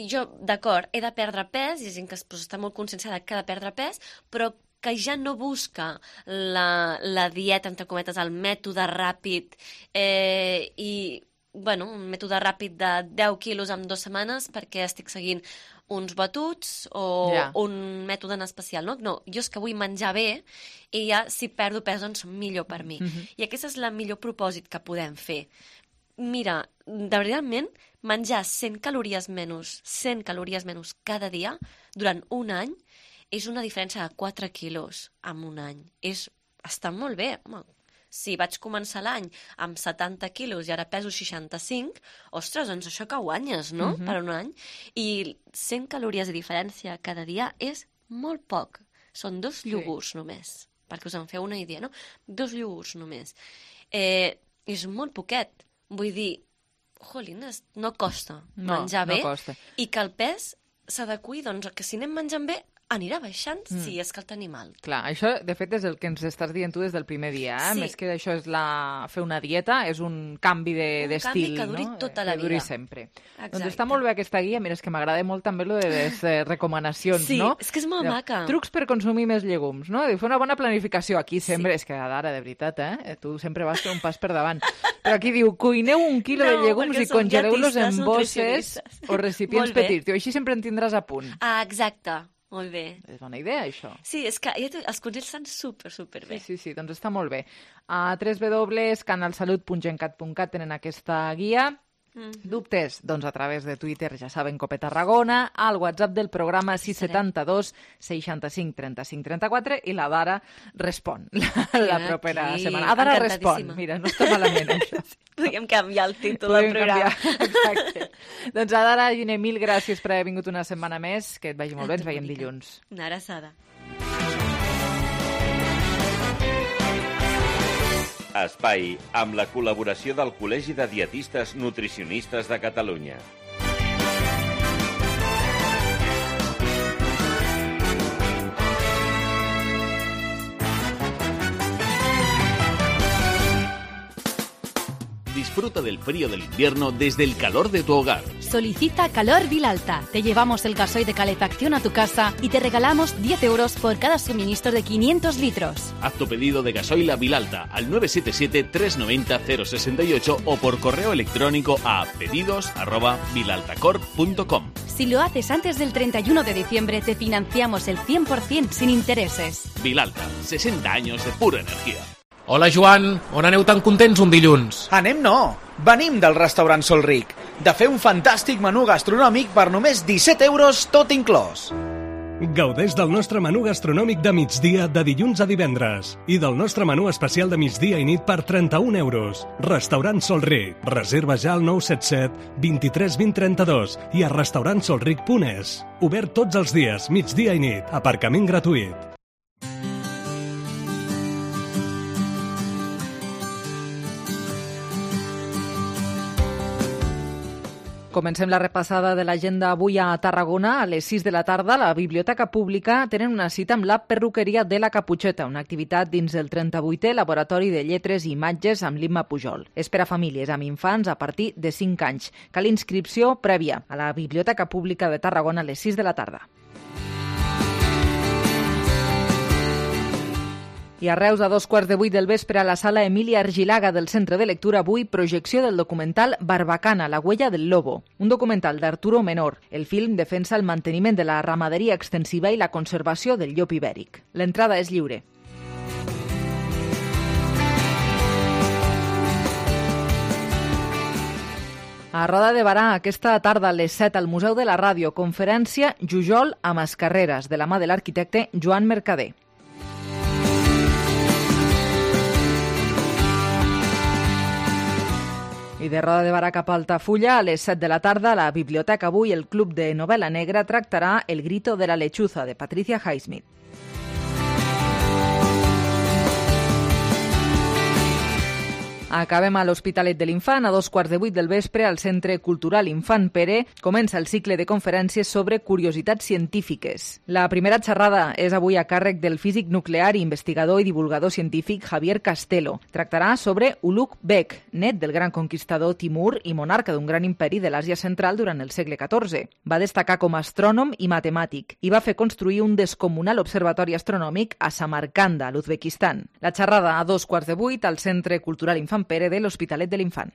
jo, d'acord, he de perdre pes, i hi ha gent que està molt conscienciada que ha de perdre pes, però que ja no busca la dieta, entre cometes, el mètode ràpid un mètode ràpid de 10 quilos en 2 setmanes perquè estic seguint uns batuts o un mètode en especial, no? No, jo és que vull menjar bé i ja si perdo pes doncs millor per mi. I aquest és el millor propòsit que podem fer. Mira, de veritatment, menjar 100 calories menys cada dia durant un any és una diferència de 4 quilos en un any. Està molt bé, home. Si vaig començar l'any amb 70 quilos i ara peso 65, ostres, doncs això que guanyes, no?, per un any. I 100 calories de diferència cada dia és molt poc. Són 2 iogurts només, perquè us en feu una idea, no? 2 iogurts només. És molt poquet. Vull dir, jolines, no costa menjar bé i que el pes s'adequi, doncs, que si anem menjant bé, anirà baixant si és que el tenim alt. Clar, això, de fet, és el que ens estàs dient tu des del primer dia, Més que això és fer una dieta, és un canvi d'estil, no? Un canvi que duri tota la vida. Que duri sempre. Doncs està molt bé aquesta guia, mira, és que m'agrada molt també lo de les recomanacions, no? Sí, és que és molt maca. Trucs per consumir més llegums, no? Fer una bona planificació. Aquí sempre, és que ara, de veritat, tu sempre vas fer un pas per davant. Però aquí diu, cuineu 1 quilo de llegums i congeleu-los en bosses o recipients petits. Així sempre en tindràs a punt. Exacte. Molt bé. És bona idea, això. Sí, és que els consells estan super bé. Sí, doncs està molt bé. A www.canalsalut.gencat.cat tenen aquesta guia. Dubtes? Doncs a través de Twitter, ja saben, Cope Tarragona, al WhatsApp del programa 672 65 35 34 i la Dara respon la propera setmana. Dara respon. Mira, no està malament, això. Podríem canviar el títol del programa. Exacte. Doncs a Dara Giner, mil gràcies per haver vingut una setmana més. Que et vagi molt bé, ens veiem dilluns. Una abraçada. Espai amb la col·laboració del Col·legi de Dietistes Nutricionistes de Catalunya. disfruta del frío del invierno desde el calor de tu hogar. Solicita Calor Vilalta. Te llevamos el gasoil de calefacción a tu casa y te regalamos 10 euros por cada suministro de 500 litros. Haz tu pedido de gasoil a Vilalta al 977-390-068 o por correo electrónico a pedidos@vilaltacorp.com. Si lo haces antes del 31 de diciembre, te financiamos el 100% sin intereses. Vilalta, 60 años de pura energía. Hola, Joan. On aneu tan contents un dilluns? Anem no. Venim del restaurant Sol Ric, de fer un fantàstic menú gastronòmic per només 17 euros tot inclòs. Gaudeix del nostre menú gastronòmic de migdia de dilluns a divendres i del nostre menú especial de migdia i nit per 31 euros. Restaurant Sol Ric. Reserva ja al 977 23 20 32 i a restaurantsolric.es. Obert tots els dies, migdia i nit. Aparcament gratuït. Comencem la repassada de l'agenda avui a Tarragona. A les 6 de la tarda, a la Biblioteca Pública tenen una cita amb la Perruqueria de la Caputxeta, una activitat dins del 38è Laboratori de Lletres i Imatges amb l'Imma Pujol. És per a famílies amb infants a partir de 5 anys. Cal inscripció prèvia a la Biblioteca Pública de Tarragona a les 6 de la tarda. I a Reus, a 2:15 del vespre, a la sala Emília Argilaga del Centre de Lectura, avui projecció del documental Barbacana, la huella del lobo, un documental d'Arturo Menor. El film defensa el manteniment de la ramaderia extensiva i la conservació del llop ibèric. L'entrada és lliure. A Roda de Barà, aquesta tarda a les 7 al Museu de la Ràdio, conferència Jujol a Mascarreres, de la mà de l'arquitecte Joan Mercader. I de Roda de Barà cap a Altafulla, a les 7 de la tarda, a la biblioteca avui, el Club de Novel·la Negra tractarà El grito de la lechuza, de Patricia Highsmith. Acabem a l'Hospitalet de l'Infant. A 7:15 del vespre, al Centre Cultural Infant Pere, comença el cicle de conferències sobre curiositats científiques. La primera xerrada és avui a càrrec del físic nuclear, investigador i divulgador científic Javier Castelo. Tractarà sobre Ulugh Beg, net del gran conquistador Timur i monarca d'un gran imperi de l'Àsia Central durant el segle XIV. Va destacar com a astrònom i matemàtic i va fer construir un descomunal observatori astronòmic a Samarcanda, a l'Uzbekistan. La xerrada a 7:15 al Centre Cultural Infant Pere de l'Hospitalet de l'Infant.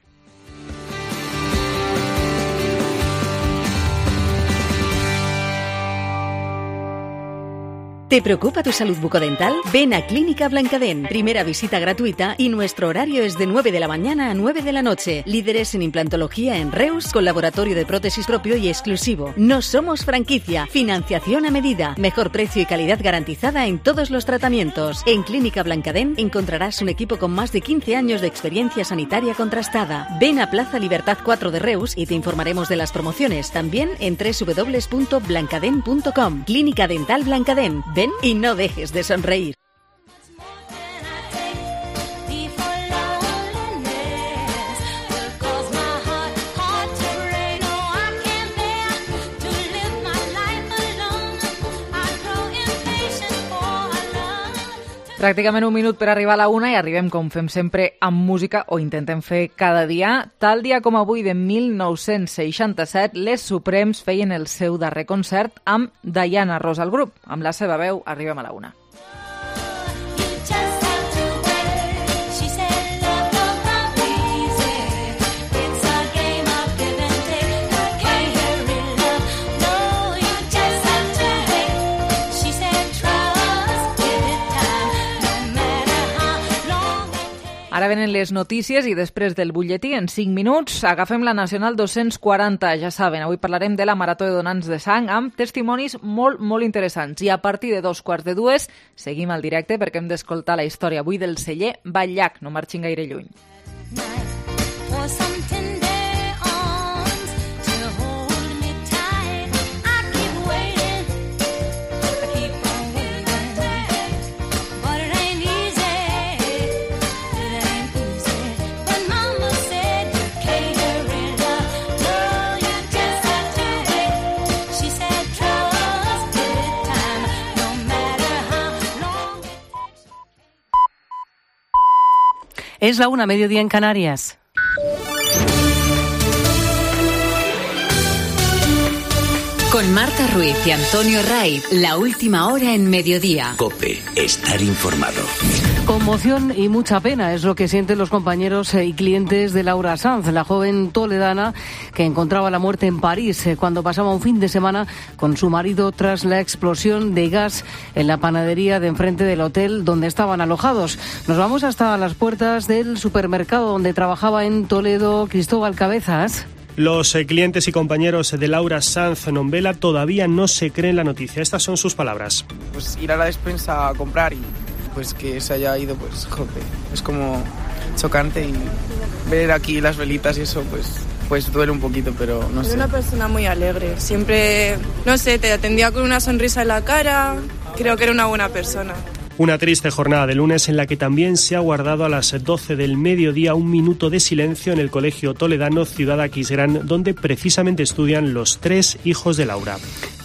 ¿Te preocupa tu salud bucodental? Ven a Clínica Blancadent. Primera visita gratuita y nuestro horario es de 9 de la mañana a 9 de la noche. Líderes en implantología en Reus, con laboratorio de prótesis propio y exclusivo. No somos franquicia. Financiación a medida. Mejor precio y calidad garantizada en todos los tratamientos. En Clínica Blancadent encontrarás un equipo con más de 15 años de experiencia sanitaria contrastada. Ven a Plaza Libertad 4 de Reus y te informaremos de las promociones. También en www.blancadent.com. Clínica Dental Blancadent. Ven y no dejes de sonreír. Pràcticament un minut per arribar a la 1 i arribem, com fem sempre, amb música, o intentem fer cada dia. Tal dia com avui de 1967, les Suprems feien el seu darrer concert amb Diana Ross al grup. Amb la seva veu arribem a la 1. Ara venen les notícies i després del butlletí, en 5 minuts, agafem la Nacional 240. Ja saben, avui parlarem de la Marató de Donants de Sang amb testimonis molt, molt interessants. I a partir de 2:15 seguim al directe perquè hem d'escoltar la història avui del celler Batllac. No marxin gaire lluny. Es la 1, mediodía en Canarias. Con Marta Ruiz y Antonio Raiz, la última hora en mediodía. COPE, estar informado. Conmoción y mucha pena es lo que sienten los compañeros y clientes de Laura Sanz, la joven toledana que encontraba la muerte en París cuando pasaba un fin de semana con su marido tras la explosión de gas en la panadería de enfrente del hotel donde estaban alojados. Nos vamos hasta las puertas del supermercado donde trabajaba en Toledo Cristóbal Cabezas. Los clientes y compañeros de Laura Sanz Nombela todavía no se creen la noticia. Estas son sus palabras. Pues ir a la despensa a comprar y pues que se haya ido, pues joder, es como chocante, y ver aquí las velitas y eso pues duele un poquito, pero no sé. Es una persona muy alegre, siempre, no sé, te atendía con una sonrisa en la cara, creo que era una buena persona. Una triste jornada de lunes en la que también se ha guardado a las 12 del mediodía un minuto de silencio en el colegio toledano Ciudad Aquisgrán, donde precisamente estudian los 3 hijos de Laura.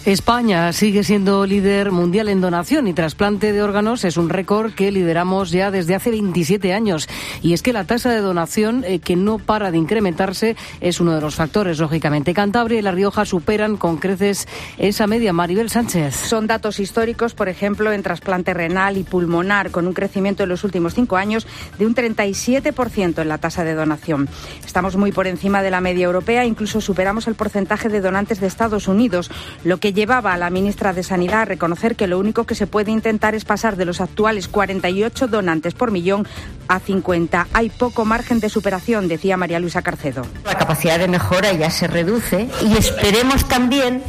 España sigue siendo líder mundial en donación y trasplante de órganos. Es un récord que lideramos ya desde hace 27 años. Y es que la tasa de donación, que no para de incrementarse, es uno de los factores, lógicamente. Cantabria y La Rioja superan con creces esa media. Maribel Sánchez. Son datos históricos, por ejemplo, en trasplante renal y pulmonar, con un crecimiento en los últimos 5 años de un 37% en la tasa de donación. Estamos muy por encima de la media europea, incluso superamos el porcentaje de donantes de Estados Unidos, lo que llevaba a la ministra de Sanidad a reconocer que lo único que se puede intentar es pasar de los actuales 48 donantes por millón a 50. Hay poco margen de superación, decía María Luisa Carcedo. La capacidad de mejora ya se reduce y esperemos también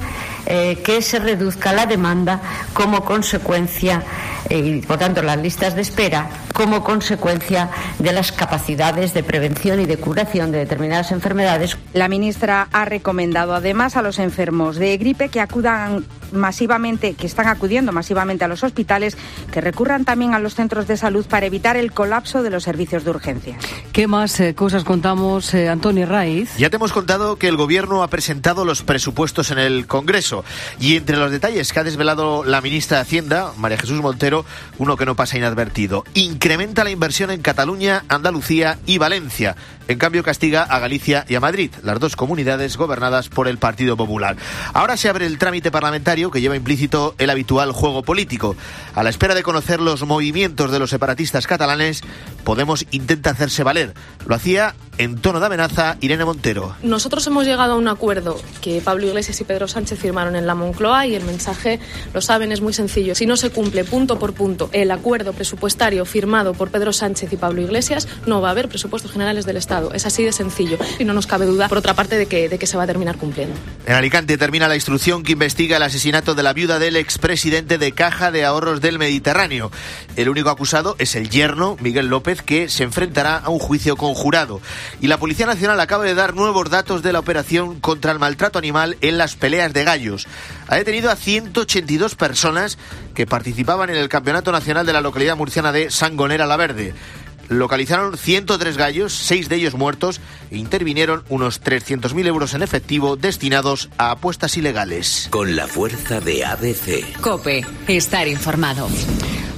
que se reduzca la demanda como consecuencia, y por tanto las listas de espera, como consecuencia de las capacidades de prevención y de curación de determinadas enfermedades. La ministra ha recomendado además a los enfermos de gripe que acudan masivamente, que están acudiendo masivamente a los hospitales, que recurran también a los centros de salud para evitar el colapso de los servicios de urgencia. ¿Qué más cosas contamos, Antonio Raiz? Ya te hemos contado que el Gobierno ha presentado los presupuestos en el Congreso y entre los detalles que ha desvelado la ministra de Hacienda, María Jesús Montero, uno que no pasa inadvertido. Incrementa la inversión en Cataluña, Andalucía y Valencia. En cambio, castiga a Galicia y a Madrid, las 2 comunidades gobernadas por el Partido Popular. Ahora se abre el trámite parlamentario que lleva implícito el habitual juego político. A la espera de conocer los movimientos de los separatistas catalanes, Podemos intenta hacerse valer. Lo hacía en tono de amenaza Irene Montero. Nosotros hemos llegado a un acuerdo que Pablo Iglesias y Pedro Sánchez firmaron en la Moncloa y el mensaje, lo saben, es muy sencillo. Si no se cumple punto por punto el acuerdo presupuestario firmado por Pedro Sánchez y Pablo Iglesias, no va a haber presupuestos generales del Estado. Es así de sencillo y no nos cabe duda, por otra parte, de que se va a terminar cumpliendo. En Alicante termina la instrucción que investiga el asesinato de la viuda del expresidente de Caja de Ahorros del Mediterráneo. El único acusado es el yerno, Miguel López, que se enfrentará a un juicio conjurado. Y la Policía Nacional acaba de dar nuevos datos de la operación contra el maltrato animal en las peleas de gallos. Ha detenido a 182 personas que participaban en el Campeonato Nacional de la localidad murciana de Sangonera la Verde. Localizaron 103 gallos, 6 de ellos muertos, e intervinieron unos 300.000 euros en efectivo destinados a apuestas ilegales. Con la fuerza de ABC. COPE, estar informado.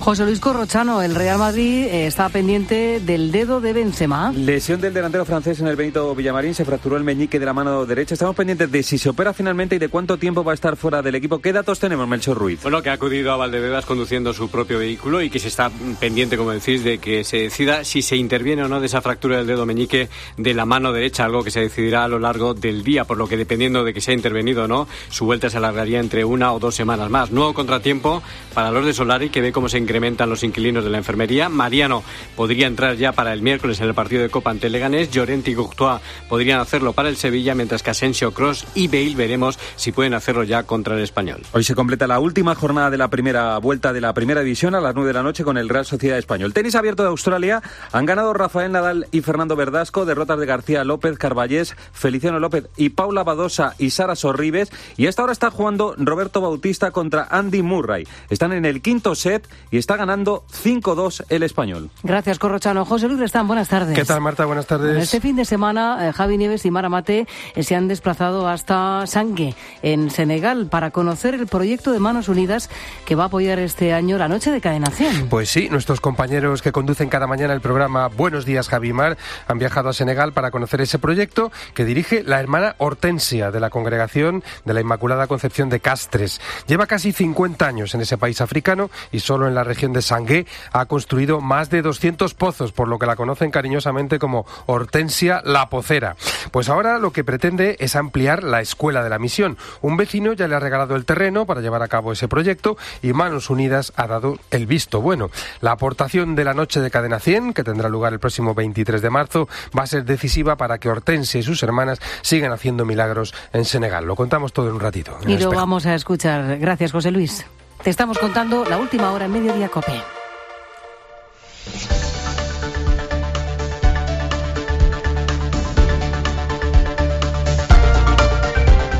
José Luis Corrochano, el Real Madrid está pendiente del dedo de Benzema. Lesión del delantero francés en el Benito Villamarín, se fracturó el meñique de la mano derecha. Estamos pendientes de si se opera finalmente y de cuánto tiempo va a estar fuera del equipo. ¿Qué datos tenemos, Melchor Ruiz? Bueno, que ha acudido a Valdebebas conduciendo su propio vehículo y que se está pendiente, como decís, de que se decida si se interviene o no de esa fractura del dedo meñique de la mano derecha, algo que se decidirá a lo largo del día, por lo que dependiendo de que se ha intervenido o no, su vuelta se alargaría entre 1 o 2 semanas más. Nuevo contratiempo para los de Solari, que ve cómo se incrementan los inquilinos de la enfermería. Mariano podría entrar ya para el miércoles en el partido de Copa ante Leganés. Llorente y Courtois podrían hacerlo para el Sevilla, mientras que Asensio, Kroos y Bale veremos si pueden hacerlo ya contra el Español. Hoy se completa la última jornada de la primera vuelta de la primera división a las 9 de la noche con el Real Sociedad Español. Tenis abierto de Australia. Han ganado Rafael Nadal y Fernando Verdasco, derrotas de García López, Carballés, Feliciano López y Paula Badosa y Sara Sorribes. Y hasta ahora está jugando Roberto Bautista contra Andy Murray. Están en el quinto set y está ganando 5-2 el español. Gracias. Gracias, Corrochano. José Luis Restán, buenas tardes. ¿Qué tal, Marta? Buenas tardes. Este fin de semana, Javi Nieves y Mara Mate se han desplazado hasta Sangue, en Senegal, para conocer el proyecto de Manos Unidas que va a apoyar este año la Noche de Cadena 100. Pues sí, nuestros compañeros que conducen cada mañana el programa Buenos Días, Javi y Mar, han viajado a Senegal para conocer ese proyecto que dirige la hermana Hortensia, de la Congregación de la Inmaculada Concepción de Castres. Lleva casi 50 años en ese país africano y solo en la región de Sangue ha construido más de 200 pozos, por lo que la conocen cariñosamente como Hortensia la Pocera. Pues ahora lo que pretende es ampliar la escuela de la misión. Un vecino ya le ha regalado el terreno para llevar a cabo ese proyecto y Manos Unidas ha dado el visto bueno. La aportación de la Noche de Cadena 100, que tendrá lugar el próximo 23 de marzo, va a ser decisiva para que Hortensia y sus hermanas sigan haciendo milagros en Senegal. Lo contamos todo en un ratito. Y lo vamos a escuchar. Gracias, José Luis. Te estamos contando la última hora en Mediodía COPE.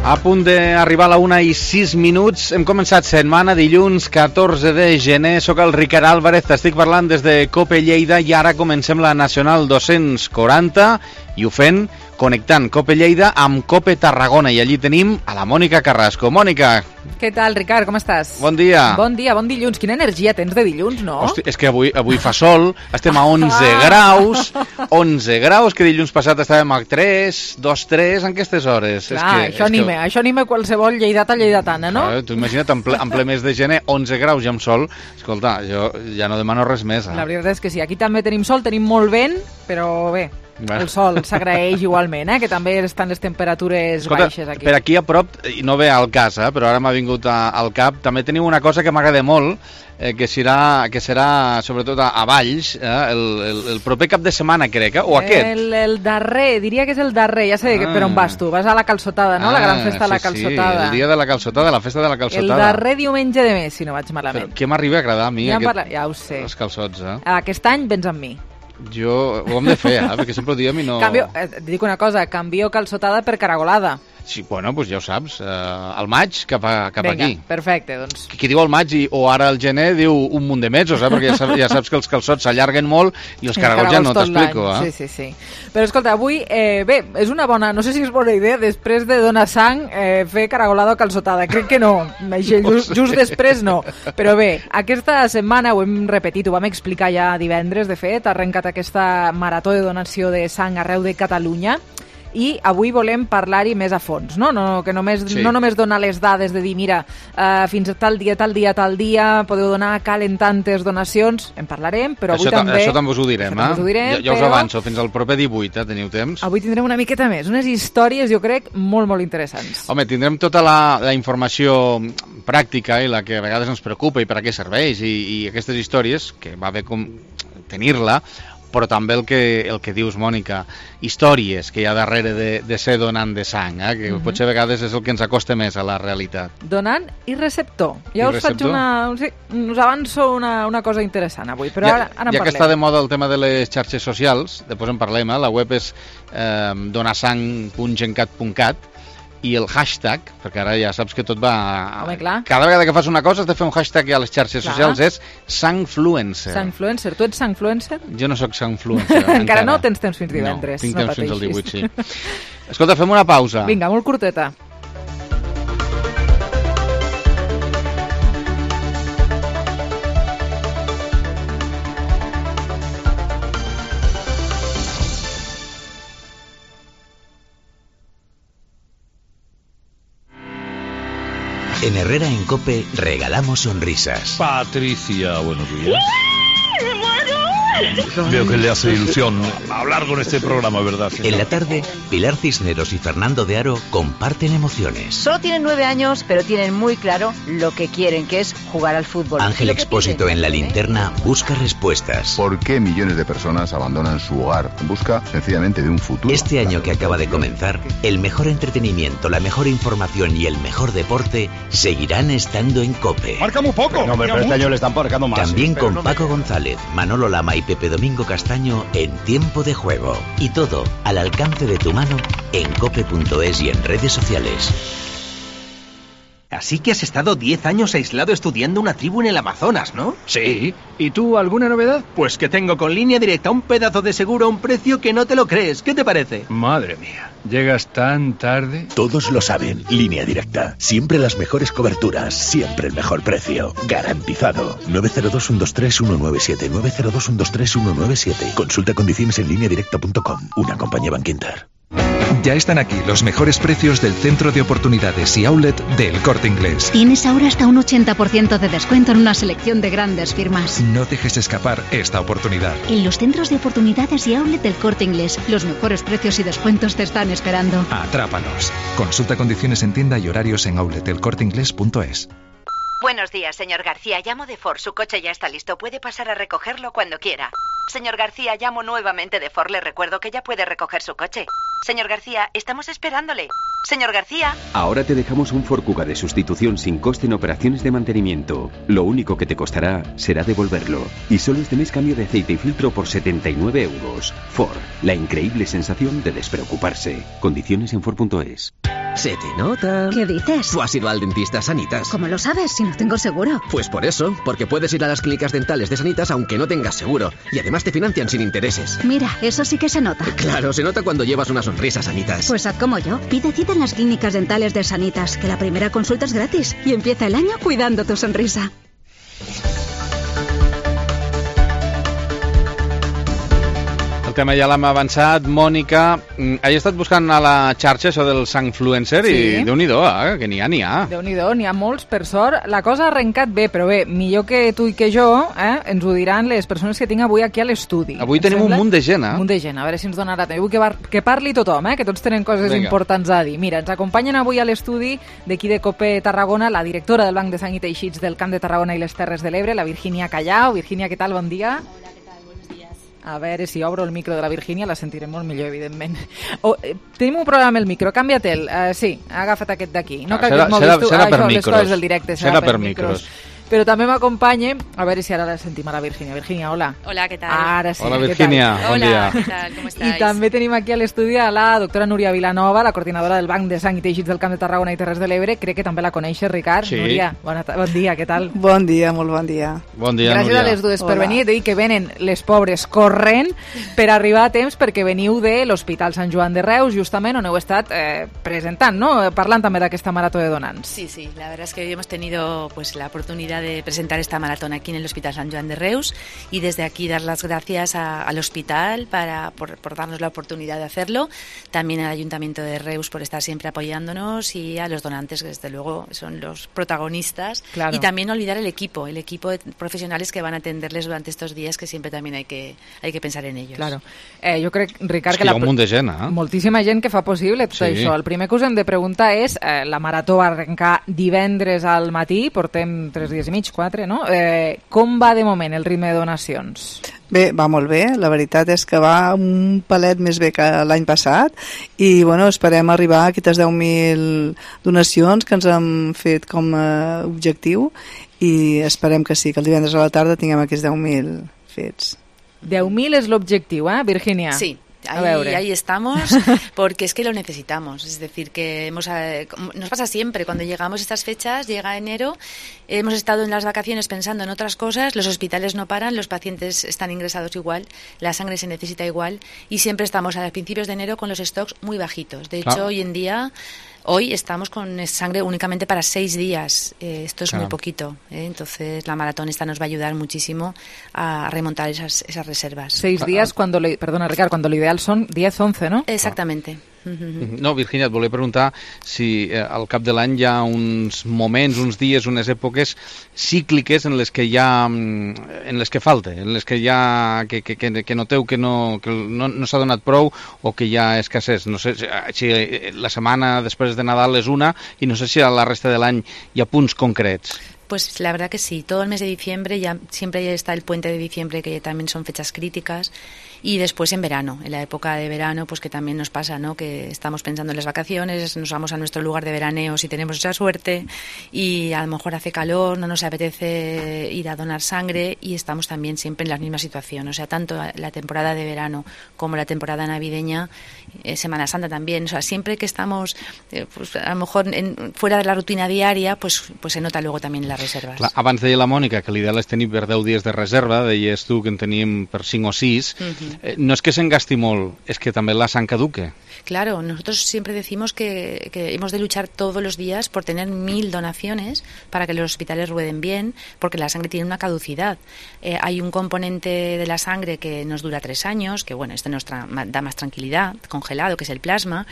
A punt d'arribar a la 1:06. Hem començat setmana, dilluns 14 de gener. Soc el Ricard Álvarez, t'estic parlant des de COPE Lleida i ara comencem la Nacional 240 i ho fem connectant COPE Lleida amb COPE Tarragona i allí tenim a la Mònica Carrasco. Mònica. Què tal, Ricard? Com estàs? Bon dia. Bon dia, bon dilluns. Quina energia tens de dilluns, no? Hosti, és que avui fa sol, estem a 11 graus, 11 graus, que dilluns passat estàvem a 3, 2, 3, en aquestes hores. Clar, això anima qualsevol lleidatana, no? Tu imagina't, en ple mes de gener, 11 graus i amb sol. Escolta, jo ja no demano res més. La veritat és que sí, aquí també tenim sol, tenim molt vent, però bé, el sol s'agraeix igualment, que també estan les temperatures baixes aquí. Per aquí a prop, i no ve al cas, però ara m'ha vingut al cap, també teniu una cosa que m'agrada molt, que serà sobretot a Valls, el proper cap de setmana, crec, o aquest? El darrer, diria que és el darrer, ja sé per on vas tu, vas a la Calçotada, no? La gran festa de la Calçotada. Sí, el dia de la Calçotada, la festa de la Calçotada. El darrer diumenge de mes, si no vaig malament. Però què m'arriba a agradar a mi, ja ho sé. Els calçots, Aquest any vens amb mi. Jo ho hem de fer, perquè sempre ho diem i no... Et dic una cosa, canvio Calçotada per Caragolada. Sí, bueno, doncs ja ho saps, al maig cap aquí. Vinga, perfecte, doncs. Qui diu al maig o ara al gener diu un munt de mesos, perquè ja saps que els calçots s'allarguen molt i els caragols ja no t'explico. Sí. Però escolta, avui, bé, és una bona, no sé si és bona idea, després de donar sang, fer caragolada o calçotada. Crec que no, just després no. Però bé, aquesta setmana ho hem repetit, ho vam explicar ja divendres, de fet, ha arrencat aquesta marató de donació de sang arreu de Catalunya. I avui volem parlar-hi més a fons, no? No només donar les dades de dir, mira, fins a tal dia, podeu donar, calen tantes donacions, en parlarem, però avui també... Això també us ho direm, ja us avanço, fins al proper 18, teniu temps. Avui tindrem una miqueta més, unes històries, jo crec, molt, molt interessants. Home, tindrem tota la informació pràctica i la que a vegades ens preocupa i per a què serveix, i aquestes històries, que va bé com tenir-la, però també el que dius, Mònica, històries que hi ha darrere de ser donant de sang, que potser a vegades és el que ens acosta més a la realitat. Donant i receptor. Ja us faig us avanço una cosa interessant avui, però ara en parlem. Ja que està de moda el tema de les xarxes socials, després en parlem, la web és donasang.gencat.cat, i el hashtag, perquè ara ja saps que tot va... Home, clar. Cada vegada que fas una cosa has de fer un hashtag a les xarxes socials, és Sangfluencer. Sangfluencer. Tu ets Sangfluencer? Jo no sóc Sangfluencer. Encara no tens temps fins divendres. No, tinc temps fins al 18, sí. Escolta, fem una pausa. Vinga, molt curteta. En Herrera en COPE regalamos sonrisas. Patricia, buenos días. Veo que le hace ilusión hablar con este programa, ¿verdad, señor? En la tarde, Pilar Cisneros y Fernando de Aro comparten emociones. Solo tienen 9 años, pero tienen muy claro lo que quieren, que es jugar al fútbol. Ángel Expósito en La Linterna busca respuestas. ¿Por qué millones de personas abandonan su hogar en busca sencillamente de un futuro? Este año que acaba de comenzar, el mejor entretenimiento, la mejor información y el mejor deporte seguirán estando en COPE. ¡Marca muy poco! No, pero este año le están marcando más. También con Paco González, Manolo Lama y Pepe Domingo Castaño en Tiempo de Juego. Y todo al alcance de tu mano en cope.es y en redes sociales. Así que has estado 10 años aislado estudiando una tribu en el Amazonas, ¿no? Sí. ¿Y tú, alguna novedad? Pues que tengo con Línea Directa un pedazo de seguro a un precio que no te lo crees. ¿Qué te parece? Madre mía, ¿llegas tan tarde? Todos lo saben. Línea Directa. Siempre las mejores coberturas, siempre el mejor precio. Garantizado. 902-123-197. 902-123-197. Consulta condiciones en lineadirecta.com. Una compañía Bankinter. Ya están aquí los mejores precios del Centro de Oportunidades y Outlet del Corte Inglés. Tienes ahora hasta un 80% de descuento en una selección de grandes firmas. No dejes escapar esta oportunidad. En los Centros de Oportunidades y Outlet del Corte Inglés, los mejores precios y descuentos te están esperando. Atrápalos. Consulta condiciones en tienda y horarios en outletelcorteinglés.es. Buenos días, señor García. Llamo de Ford. Su coche ya está listo. Puede pasar a recogerlo cuando quiera. Señor García, llamo nuevamente de Ford. Le recuerdo que ya puede recoger su coche. Señor García, estamos esperándole. Señor García. Ahora te dejamos un Ford Kuga de sustitución sin coste en operaciones de mantenimiento. Lo único que te costará será devolverlo. Y solo este mes cambio de aceite y filtro por 79 euros. Ford, la increíble sensación de despreocuparse. Condiciones en Ford.es. Se te nota. ¿Qué dices? ¿Tú has ido al dentista Sanitas? ¿Cómo lo sabes si no tengo seguro? Pues por eso, porque puedes ir a las clínicas dentales de Sanitas aunque no tengas seguro. Y además te financian sin intereses. Mira, eso sí que se nota. Claro, se nota cuando llevas una sonrisa, Sanitas. Pues haz como yo. Pide cita en las clínicas dentales de Sanitas, que la primera consulta es gratis. Y empieza el año cuidando tu sonrisa. El tema ja l'hem avançat. Mònica, he estat buscant a la xarxa això del Sangfluencer i Déu-n'hi-do, que n'hi ha. Déu-n'hi-do, n'hi ha molts, per sort. La cosa ha arrencat bé, però bé, millor que tu i que jo, ens ho diran les persones que tinc avui aquí a l'estudi. Avui tenim un munt de gent, Un munt de gent, a veure si ens donarà temps. Vull que parli tothom, que tots tenen coses importants a dir. Mira, ens acompanyen avui a l'estudi d'aquí de COPE Tarragona la directora del Banc de Sang i Teixits del Camp de Tarragona i les Terres de l'Ebre, la Virginia Callao. Virginia, què tal? Bon dia. A veure, si obro el micro de la Virginia la sentirem molt millor, evidentment. Tenim un problema amb el micro, canvia-te'l. Sí, ha agafat aquest d'aquí. No cal que et moguis tu. Serà per micros. Les coses del directe, serà per micros. Però també m'acompanya, a veure si ara la sentim a la Virginia. Virginia, hola. Hola, què tal? Ara sí. Hola, Virginia, bon dia. Hola, què tal? Com estàs? I també tenim aquí a l'estudi a la doctora Núria Vilanova, la coordinadora del Banc de Sang i Teixits del Camp de Tarragona i Terres de l'Ebre. Crec que també la coneixes, Ricard. Sí. Núria, bon dia, què tal? Bon dia, molt bon dia. Bon dia, Gràcies Núria. a les dues per venir. Dic que venen les pobres corrent per arribar a temps perquè veniu de l'Hospital Sant Joan de Reus, justament on heu estat presentant, ¿no? Parlant també d'aquesta marató de donants. Sí, la verdad es que hoy hemos tenido pues la oportunidad de presentar esta maratón aquí en el Hospital Sant Joan de Reus y desde aquí dar las gracias al hospital por darnos la oportunidad de hacerlo, también al Ayuntamiento de Reus por estar siempre apoyándonos y a los donantes que desde luego son los protagonistas. Claro. Y también no olvidar el equipo de profesionales que van a atenderles durante estos días, que siempre también hay que pensar en ellos. Claro. Jo crec, Ricard, que hi ha un munt de gent, moltíssima gent que fa possible tot això. El primer que us hem de preguntar és, la marató va arrencar divendres al matí, portem 3 dies i mig, 4, no? Com va de moment el ritme de donacions? Bé, va molt bé, la veritat és que va un palet més bé que l'any passat i bueno, esperem arribar a aquestes 10.000 donacions que ens hem fet com a objectiu i esperem que sí, que el divendres a la tarda tinguem aquests 10.000 fets. 10.000 és l'objectiu, Virginia? Sí. Ahí estamos, porque es que lo necesitamos. Es decir, que nos pasa siempre, cuando llegamos a estas fechas, llega enero, hemos estado en las vacaciones pensando en otras cosas, los hospitales no paran, los pacientes están ingresados igual, la sangre se necesita igual, y siempre estamos a principios de enero con los stocks muy bajitos. De hecho, hoy en día... Hoy estamos con sangre únicamente para 6 días. Esto es muy poquito. Entonces, la maratón esta nos va a ayudar muchísimo a remontar esas reservas. 6 días, perdona, Ricard, cuando lo ideal son 10, 11, ¿no? Exactamente. No, Virginia, et volia preguntar si al cap de l'any hi ha uns moments, uns dies, unes èpoques cícliques en les que hi ha, en les que falta, en les que hi ha, que noteu que no s'ha donat prou o que hi ha escassez. No sé si la setmana després de Nadal és una i no sé si a la resta de l'any hi ha punts concrets. Pues la verdad que sí, todo el mes de diciembre, ya siempre está el puente de diciembre, que también son fechas críticas, y después en verano, en la época de verano, pues que también nos pasa, ¿no? Que estamos pensando en las vacaciones, nos vamos a nuestro lugar de veraneo si tenemos esa suerte, y a lo mejor hace calor, no nos apetece ir a donar sangre, y estamos también siempre en la misma situación, o sea, tanto la temporada de verano como la temporada navideña, Semana Santa también, o sea, siempre que estamos pues a lo mejor fuera de la rutina diària, pues se nota luego también las reservas. Clar, abans deia la Mònica que l'ideal és tenir per 10 dies de reserva, deies tu que en teníem per 5 o 6. No és que se'n gasti molt, és que també la sang caduque. Claro, nosotros siempre decimos que hemos de luchar todos los días por tener 1000 donaciones para que los hospitales rueden bien, porque la sangre tiene una caducidad. Hay un componente de la sangre que nos dura 3 años, que bueno, este nos da más tranquilidad, congelado, que es el plasma.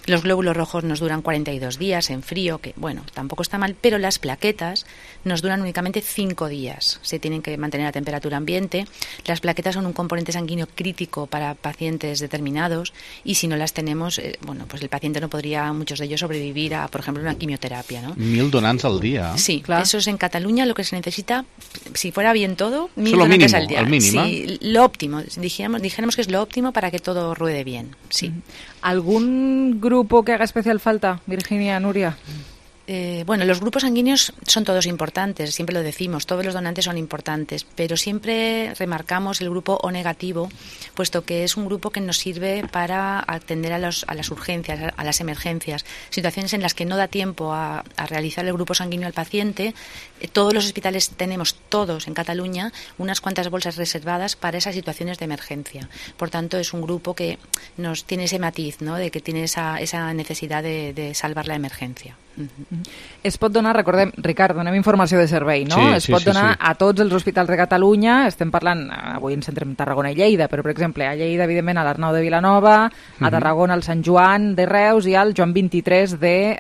Los glóbulos rojos nos duran 42 días en frío, que bueno, tampoco está mal, pero las plaquetas nos duran únicamente 5 días. Se tienen que mantener a temperatura ambiente. Las plaquetas son un componente sanguíneo crítico para pacientes determinados y si no las tenemos, bueno, pues el paciente no podría, muchos de ellos, sobrevivir a, por ejemplo, una quimioterapia, ¿no? 1000 donants al día. Sí, claro. Eso es en Cataluña lo que se necesita, si fuera bien todo, 1000 donantes al día. El mínimo. Sí, lo óptimo. Dijéramos que es lo óptimo para que todo ruede bien, sí. ¿Algún grupo que haga especial falta, Virginia, Nuria? Bueno, los grupos sanguíneos son todos importantes, siempre lo decimos, todos los donantes son importantes, pero siempre remarcamos el grupo O negativo, puesto que es un grupo que nos sirve para atender a las urgencias, a las emergencias, situaciones en las que no da tiempo a realizar el grupo sanguíneo al paciente. Todos los hospitales tenemos, todos en Cataluña, unas cuantas bolsas reservadas para esas situaciones de emergencia. Por tanto, es un grupo que nos tiene ese matiz, ¿no?, de que tiene esa necesidad de salvar la emergencia. Es pot donar, recordem, Ricard, donem informació de servei, no? Sí, es pot donar a tots els hospitals de Catalunya, estem parlant, avui ens centrem en Tarragona i Lleida, però per exemple a Lleida, evidentment, a l'Arnau de Vilanova, a Tarragona al Sant Joan de Reus i al Joan 23 de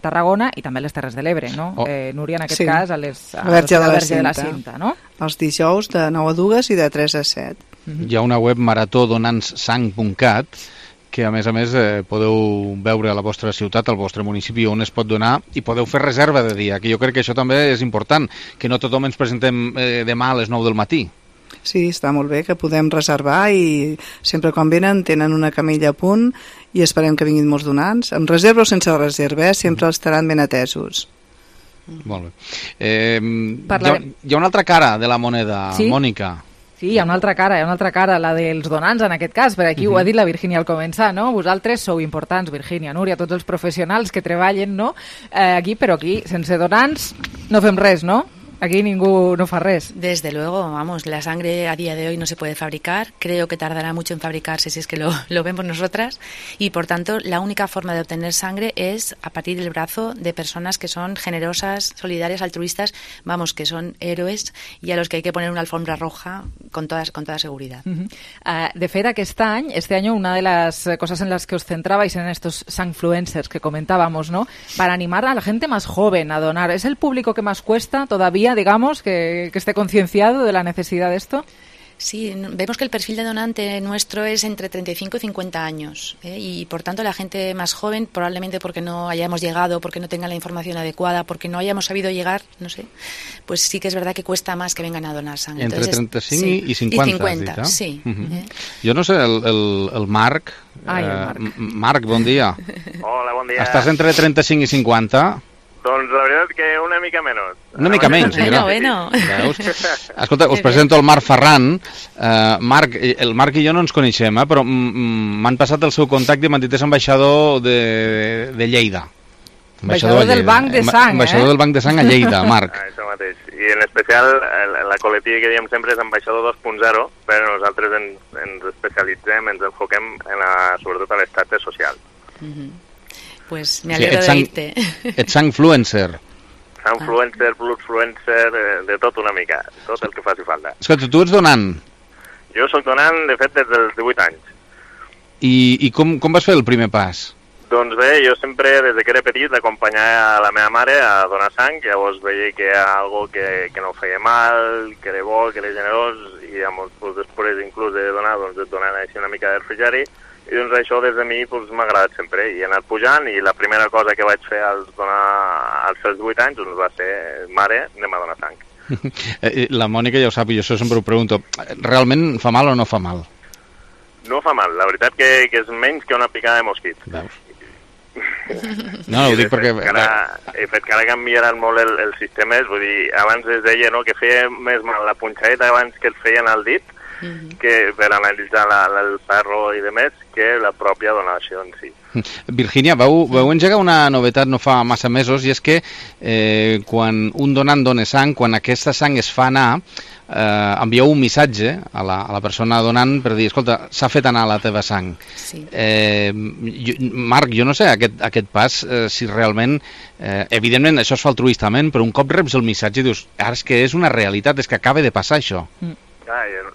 Tarragona i també a les Terres de l'Ebre, no? Núria, en aquest cas, a la Verge de la Cinta, no? Els dijous de 9 a 2 i de 3 a 7. Hi ha una web maratodonanssang.cat que a més podeu veure a la vostra ciutat, al vostre municipi on es pot donar i podeu fer reserva de dia, que jo crec que això també és important, que no tothom ens presentem demà a les 9 del matí. Sí, està molt bé que podem reservar i sempre quan venen tenen una camilla a punt i esperem que vinguin molts donants. Amb reserva o sense reserva, sempre estaran ben atesos. Molt bé. Hi ha una altra cara de la moneda, sí? Mònica. Sí, hi ha una altra cara, la dels donants en aquest cas, perquè aquí ho ha dit la Virginia al començar, no? Vosaltres sou importants, Virginia, Núria, tots els professionals que treballen, no? Però aquí, sense donants, no fem res, no? Aquí ningú no fa res. Desde luego, vamos, la sangre a día de hoy no se puede fabricar, creo que tardará mucho en fabricarse si es que lo vemos nosotras, y por tanto la única forma de obtener sangre es a partir del brazo de personas que son generosas, solidarias, altruistas, vamos, que son héroes y a los que hay que poner una alfombra roja con toda seguridad. De fet, este año una de las cosas en las que os centrabais en estos sangfluencers que comentábamos, ¿no? Para animar a la gente más joven a donar. ¿Es el público que más cuesta todavía, digamos, que esté concienciado de la necesidad de esto? Sí, vemos que el perfil de donante nuestro es entre 35 y 50 años, y por tanto la gente más joven, probablemente porque no hayamos llegado, porque no tengan la información adecuada, porque no hayamos sabido llegar, no sé, pues sí que es verdad que cuesta más que vengan a donar sangre. Entre 35 i 50, i 50, has dit, sí. Jo no sé, el Marc. Marc, bon dia. Hola, bon dia. Estàs entre 35 i 50? Doncs la veritat és que una mica menys. Una mica menys, mira. Bueno. Veus? Escolta, us presento el Marc Ferran. El Marc i jo no ens coneixem, però m'han passat el seu contacte i m'han dit és ambaixador de Lleida. Ambaixador del Banc de Sang, Ambaixador del Banc de Sang a Lleida, Marc. Això mateix. I en especial la coletilla que diem sempre és ambaixador 2.0, però nosaltres ens especialitzem, ens enfoquem sobretot a l'estat social. Pues me alegro de oírte. Ets sangfluencer. Sangfluencer, bloodfluencer, de tot una mica, tot el que faci falta. Escolta, tu ets donant? Jo soc donant, de fet, des dels 18 anys. I com vas fer el primer pas? Doncs bé, jo sempre, des que era petit, d'acompanyar la meva mare a donar sang, llavors veia que era algo que no feia mal, que era bo, que era generós, i llavors, després inclús de donar, doncs et donaven així una mica de refrigeri, i doncs això des de mi m'ha agradat sempre, i he anat pujant, i la primera cosa que vaig fer als 8 anys doncs va ser, mare, anem a donar sang. La Mònica ja ho sap, i jo això sempre ho pregunto, realment fa mal o no fa mal? No fa mal, la veritat que és menys que una picada de mosquit. Veus? No, ho dic perquè... He fet que ara canviaran molt els sistemes, vull dir, abans es deia que feia més mal la punxadeta abans que et feien al dit, que per analitzar el ferro i demés, que la pròpia donació en si. Virgínia, vau engegar una novetat no fa massa mesos, i és que quan un donant dona sang, quan aquesta sang es fa anar, envieu un missatge a la persona donant per dir, escolta, s'ha fet anar la teva sang. Sí. Marc, jo no sé aquest pas, si realment, evidentment això es fa altruistament, però un cop reps el missatge i dius, ara és que és una realitat, és que acaba de passar això.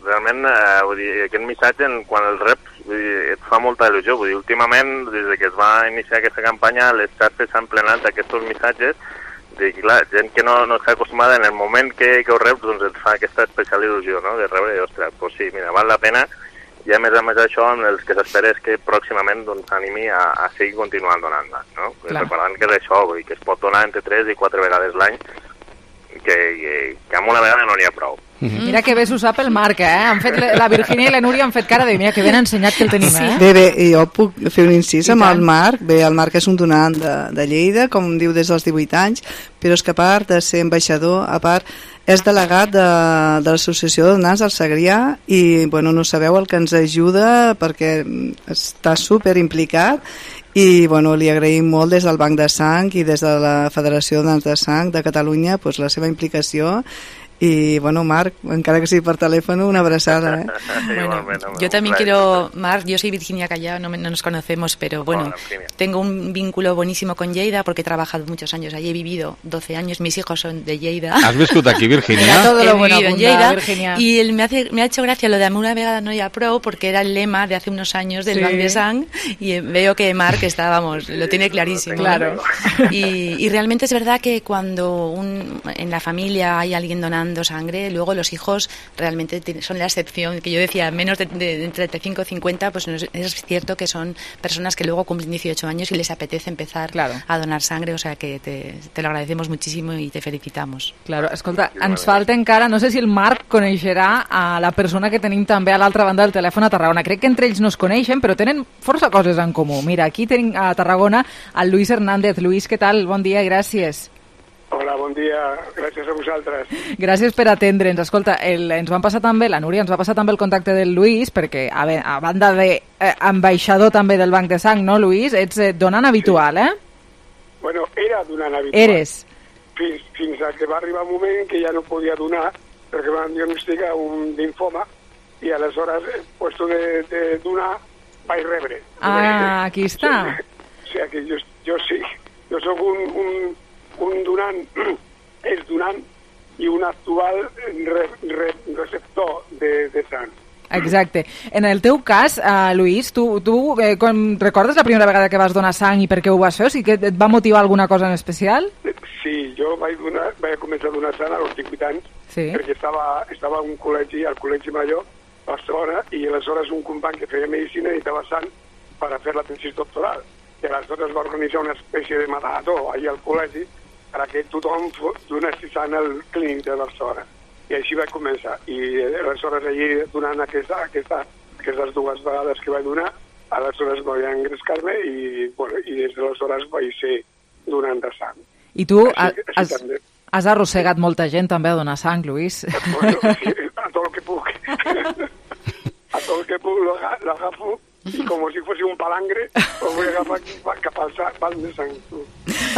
Realment, vull dir, aquest missatge, quan el reps, vull dir, et fa molta il·lusió. Vull dir, últimament, des que es va iniciar aquesta campanya, les xarxes s'han plenat d'aquests missatges. I clar, gent que no està acostumada, en el moment que ho reps, doncs et fa aquesta especial il·lusió, no?, de rebre, i ostres, doncs sí, mira, val la pena, i a més això, el que s'espera és que pròximament s'animi a seguir continuant donant-la, no? Recordant que és això, vull dir, que es pot donar entre 3 i 4 vegades l'any, que amb una vegada no n'hi ha prou. Mira que bé s'ho sap el Marc, la Virgínia i la Núria han fet cara de mira que ben ensenyat que el tenim, Bé, jo puc fer un incís amb el Marc. Bé, el Marc és un donant de Lleida, com diu, des dels 18 anys, però és que a part de ser ambaixador, a part és delegat de l'Associació de Donants del Segrià, i bueno, no sabeu el que ens ajuda perquè està super implicat, i bueno, li agraïm molt des del Banc de Sang i des de la Federació de Donants de Sang de Catalunya pues, la seva implicació. Y bueno, Marc, encara que sigui per telèfon, una abraçada. Bueno, yo también quiero, Marc, yo soy Virginia Callao, no nos conocemos, pero bueno, tengo un vínculo buenísimo con Lleida porque he trabajado muchos años allí, he vivido 12 años, mis hijos son de Lleida. ¿Has viscut aquí, Virginia? Todo lo bueno en Lleida, Virginia. Y me ha hecho gracia lo de una vegada no hi ha prou, porque era el lema de hace unos años del Banc de Sang, y veo que Marc está, vamos, lo tiene clarísimo. Claro. Y realmente es verdad que cuando en la familia hay alguien donando sangre, luego los hijos realmente son la excepción, que yo decía, menos de 35 o 50, pues es cierto que son personas que luego cumplen 18 años y les apetece empezar a donar sangre, o sea que te lo agradecemos muchísimo y te felicitamos. Claro, escolta, ens falta encara, no sé si el Marc coneixerà a la persona que tenim també a l'altra banda del telèfon a Tarragona. Crec que entre ells no es coneixen, però tenen força coses en comú. Mira, aquí tenim a Tarragona el Lluís Hernández. Lluís, què tal? Bon dia i gràcies. Hola, bon dia. Gràcies a vosaltres. Gràcies per atendre'ns. Escolta, ens van passar també, la Núria ens va passar també el contacte del Lluís, perquè a banda d'ambaixador també del Banc de Sang, no, Lluís? Ets donant habitual, Bueno, era donant habitual. Eres. Fins a que va arribar un moment que ja no podia donar, perquè van diagnosticar un linfoma, i aleshores, puesto de donar, vaig rebre. Ah, aquí està. O sigui que jo sí. Jo soc un donant, és donant, i un actual receptor de sang. Exacte. En el teu cas, Lluís, tu recordes la primera vegada que vas donar sang i per què ho vas fer? O sigui que et va motivar alguna cosa en especial? Sí, jo vaig començar a donar sang als 18 anys, perquè estava a un col·legi, al Col·legi Major, a Barcelona, i aleshores un company que feia medicina necessitava sang per fer la tesis doctoral. I aleshores va organitzar una espècie de marató allà al col·legi perquè tothom donés sang al clínic de Barcelona. I així vaig començar. I aleshores allí, donant aquestes dues vegades que vaig donar, aleshores vaig engrescar-me i des d'aleshores vaig ser donant de sang. I tu has arrossegat molta gent també a donar sang, Lluís? Bueno, sí, a tot el que puc. A tot el que puc l'agafo i com si fos un palangre ho vull agafar cap al banc de sang.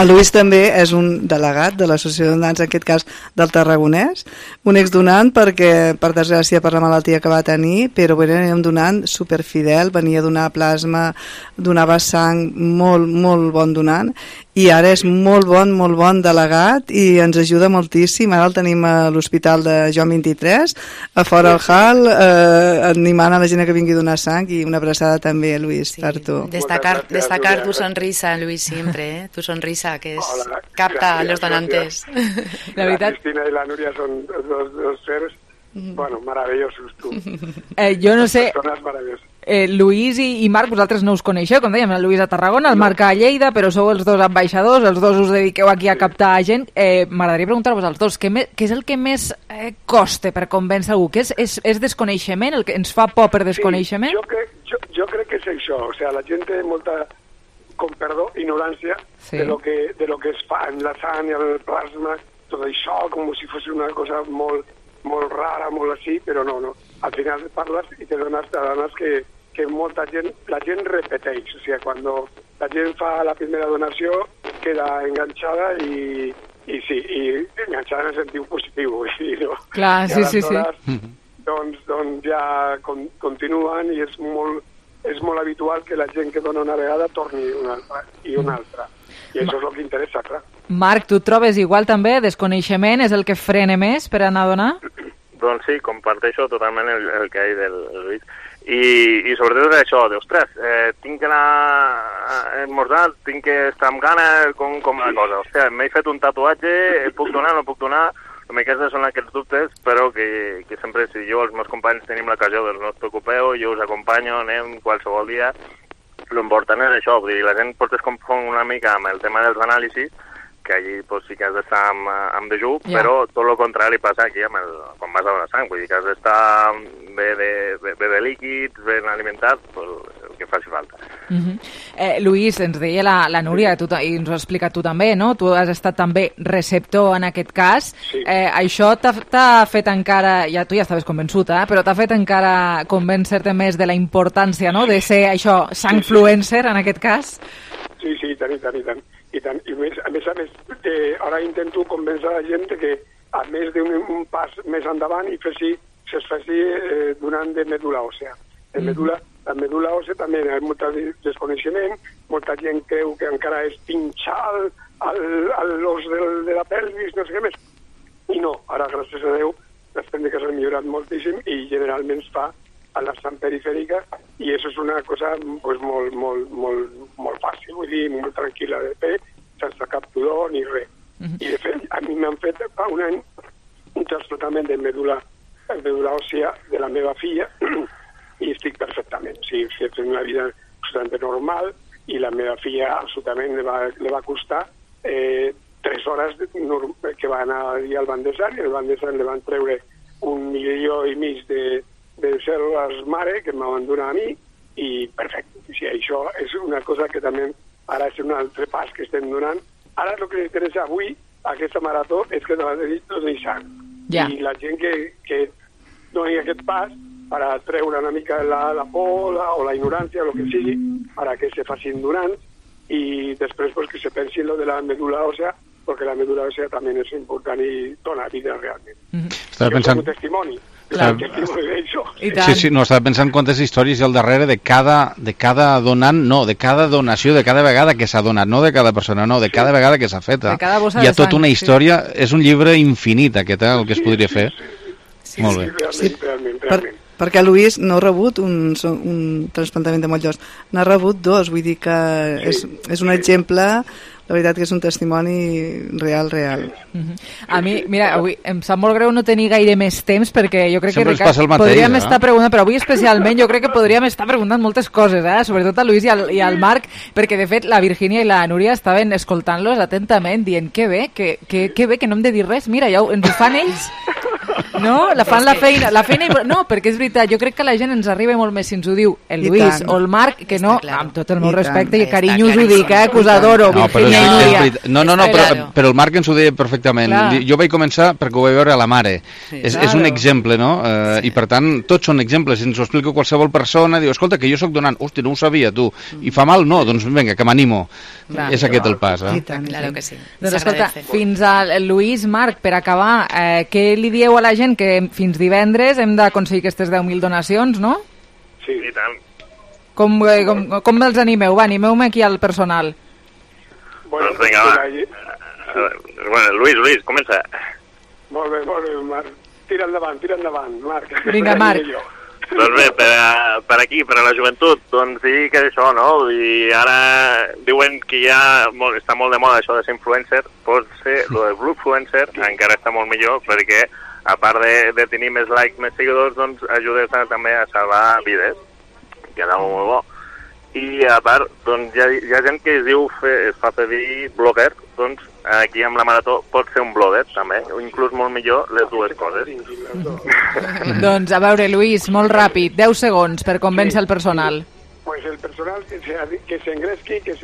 El Lluís també és un delegat de l'Associació de Donants, en aquest cas del Tarragonès, un exdonant perquè, per desgràcia, per la malaltia que va tenir, però era un donant superfidel, venia a donar plasma, donava sang, molt bon donant, i ara és molt bon delegat i ens ajuda moltíssim. Ara el tenim a l'Hospital de Joan 23, a fora al hall, animant a la gent que vingui a donar sang, i una abraçada també, Lluís, per tu. Destacar tu sonrisa, Lluís, siempre, tu sonrisa que capta a los donantes. La Cristina y la Núria son dos seres, bueno, maravillosos, tú. Yo no sé... Personas maravillosas. Lluís i Marc, vosaltres no us coneixeu, com dèiem, el Lluís a Tarragona, el Marc a Lleida, però sou els dos ambaixadors, els dos us dediqueu aquí a captar gent. M'agradaria preguntar-vos als dos, què és el que més costa per convèncer algú? És desconeixement, el que ens fa por per desconeixement? Jo crec que és això, o sea, la gent té molta, com perdó, ignorància de lo que es fa en la sang i el plasma, tot això com si fos una cosa molt rara, molt així, però no. Al final parles i te dones que molta gent, la gent repeteix, o sigui, quan la gent fa la primera donació queda enganxada i enganxada en el sentit positiu, no? Clar, sí. Doncs ja continuen i és molt habitual que la gent que dona una vegada torni una altra i una altra. I això és el que interessa, clar. Marc, tu et trobes igual també? Desconeixement és el que frena més per anar a donar? Doncs sí, comparteixo totalment el que ha dit el Lluís. I sobretot és això, ostres, tinc que anar a esmorzar, tinc que estar amb gana, com la cosa. Hòstia, m'he fet un tatuatge, puc donar, no puc donar? Aquests són aquests dubtes, però que sempre, si jo els meus companys tenim l'ocasió, doncs no us preocupeu, jo us acompanyo, anem qualsevol dia. L'important és això, vull dir, la gent pot es confon una mica amb el tema dels anàlisis, que allí sí que has d'estar amb dejú, però tot el contrari passa aquí quan vas a donar sang, vull dir que has d'estar bé de líquids, ben alimentat, el que faci falta. Lluís, ens deia la Núria, i ens ho has explicat tu també, no? Tu has estat també receptor en aquest cas. Això t'ha fet encara, tu ja estaves convençut, però t'ha fet encara convèncer-te més de la importància, no?, de ser això, sangfluencer en aquest cas? Sí, tant. I a més, ara intento convèncer la gent que a més d'un pas més endavant es faci donant de medul·la òssea. La medul·la òssea també hi ha molt desconeixement, molta gent creu que encara és pinxar l'os de la pelvis, no sé què més. I no, ara gràcies a Déu les tècniques han millorat moltíssim i generalment es fa a la sang perifèrica i això és una cosa molt fàcil, vull dir, molt tranquil·la de fer, sense cap pudor ni res. I de fet, a mi m'han fet fa un any un trasplantament de medul·la òssea de la meva filla i estic perfectament. O sigui, he fet una vida absolutament normal i la meva filla absolutament li va costar 3 hores que va anar al Banc de Sang i al Banc de Sang li van treure 1,5 milió de cèl·lules mare que m'han donat a mi i perfecte. O sigui, això és una cosa que també ara és un altre pas que estem donant. Ara el que interessa avui, aquesta marató, és que doni sang. I la gent que doni aquest pas per treure una mica la por o la ignorància o el que sigui, perquè se facin donants i després que se pensi en lo de la medul·la òssea, perquè la medul·la òssea també és important i dona vida realment. Estava pensant... un testimoni. Sí, no, estava pensant quantes històries hi ha al darrere de cada donant, no, de cada donació, de cada vegada que s'ha donat, no de cada persona, no, de cada vegada que s'ha fet. Hi ha tota una història, és un llibre infinit aquest, el que es podria fer. Molt bé. Realment. Perquè Lluís no ha rebut un trasplantament de motllos, n'ha rebut 2, vull dir que és un exemple... La veritat que és un testimoni real. A mi, mira, avui em sap molt greu no tenir gaire més temps perquè jo crec sempre que podríem estar preguntant, però avui especialment jo crec que podríem estar preguntant moltes coses, sobretot a Lluís i al Marc, perquè de fet la Virgínia i la Núria estaven escoltant-los atentament, dient que bé, que no hem de dir res, mira, ja ens ho fan ells, no? Fan la feina, no, perquè és veritat, jo crec que la gent ens arriba molt més si ens ho diu el Lluís o el Marc, que no, amb tot el meu respecte i carinyo us ho dic, que us adoro, Virgínia. No, però el Marc ens ho deia perfectament. Jo vaig començar perquè ho vaig veure a la mare. És un exemple, no? I per tant, tots són exemples. Si ens ho explica qualsevol persona, diu, escolta, que jo sóc donant. Hòstia, no ho sabia, tu. I fa mal? No, doncs vinga, que m'animo. És aquest el pas. Claro que sí. Doncs escolta, fins al Lluís, Marc, per acabar, què li dieu a la gent? Que fins divendres hem d'aconseguir aquestes 10.000 donacions, no? Sí, i tant. Com els animeu? Va, animeu-me aquí al personal. Doncs vinga, va. Lluís, comença. Molt bé, Marc. Tira endavant, Marc. Vinga, Marc. Doncs bé, per aquí, per a la joventut, doncs dir que és això, no? I ara diuen que ja està molt de moda això de ser influencer, pot ser el de Bluefluencer, encara està molt millor, perquè a part de tenir més likes, més seguidors, doncs ajudes també a salvar vides. quedava molt bo. I a part, doncs, hi ha gent que es fa dir blogger, doncs aquí amb la Marató pot ser un blogger també, o inclús molt millor les dues coses. Doncs a veure, Lluís, molt ràpid, 10 segons per convèncer el personal. Pues el personal que s'engresqui, que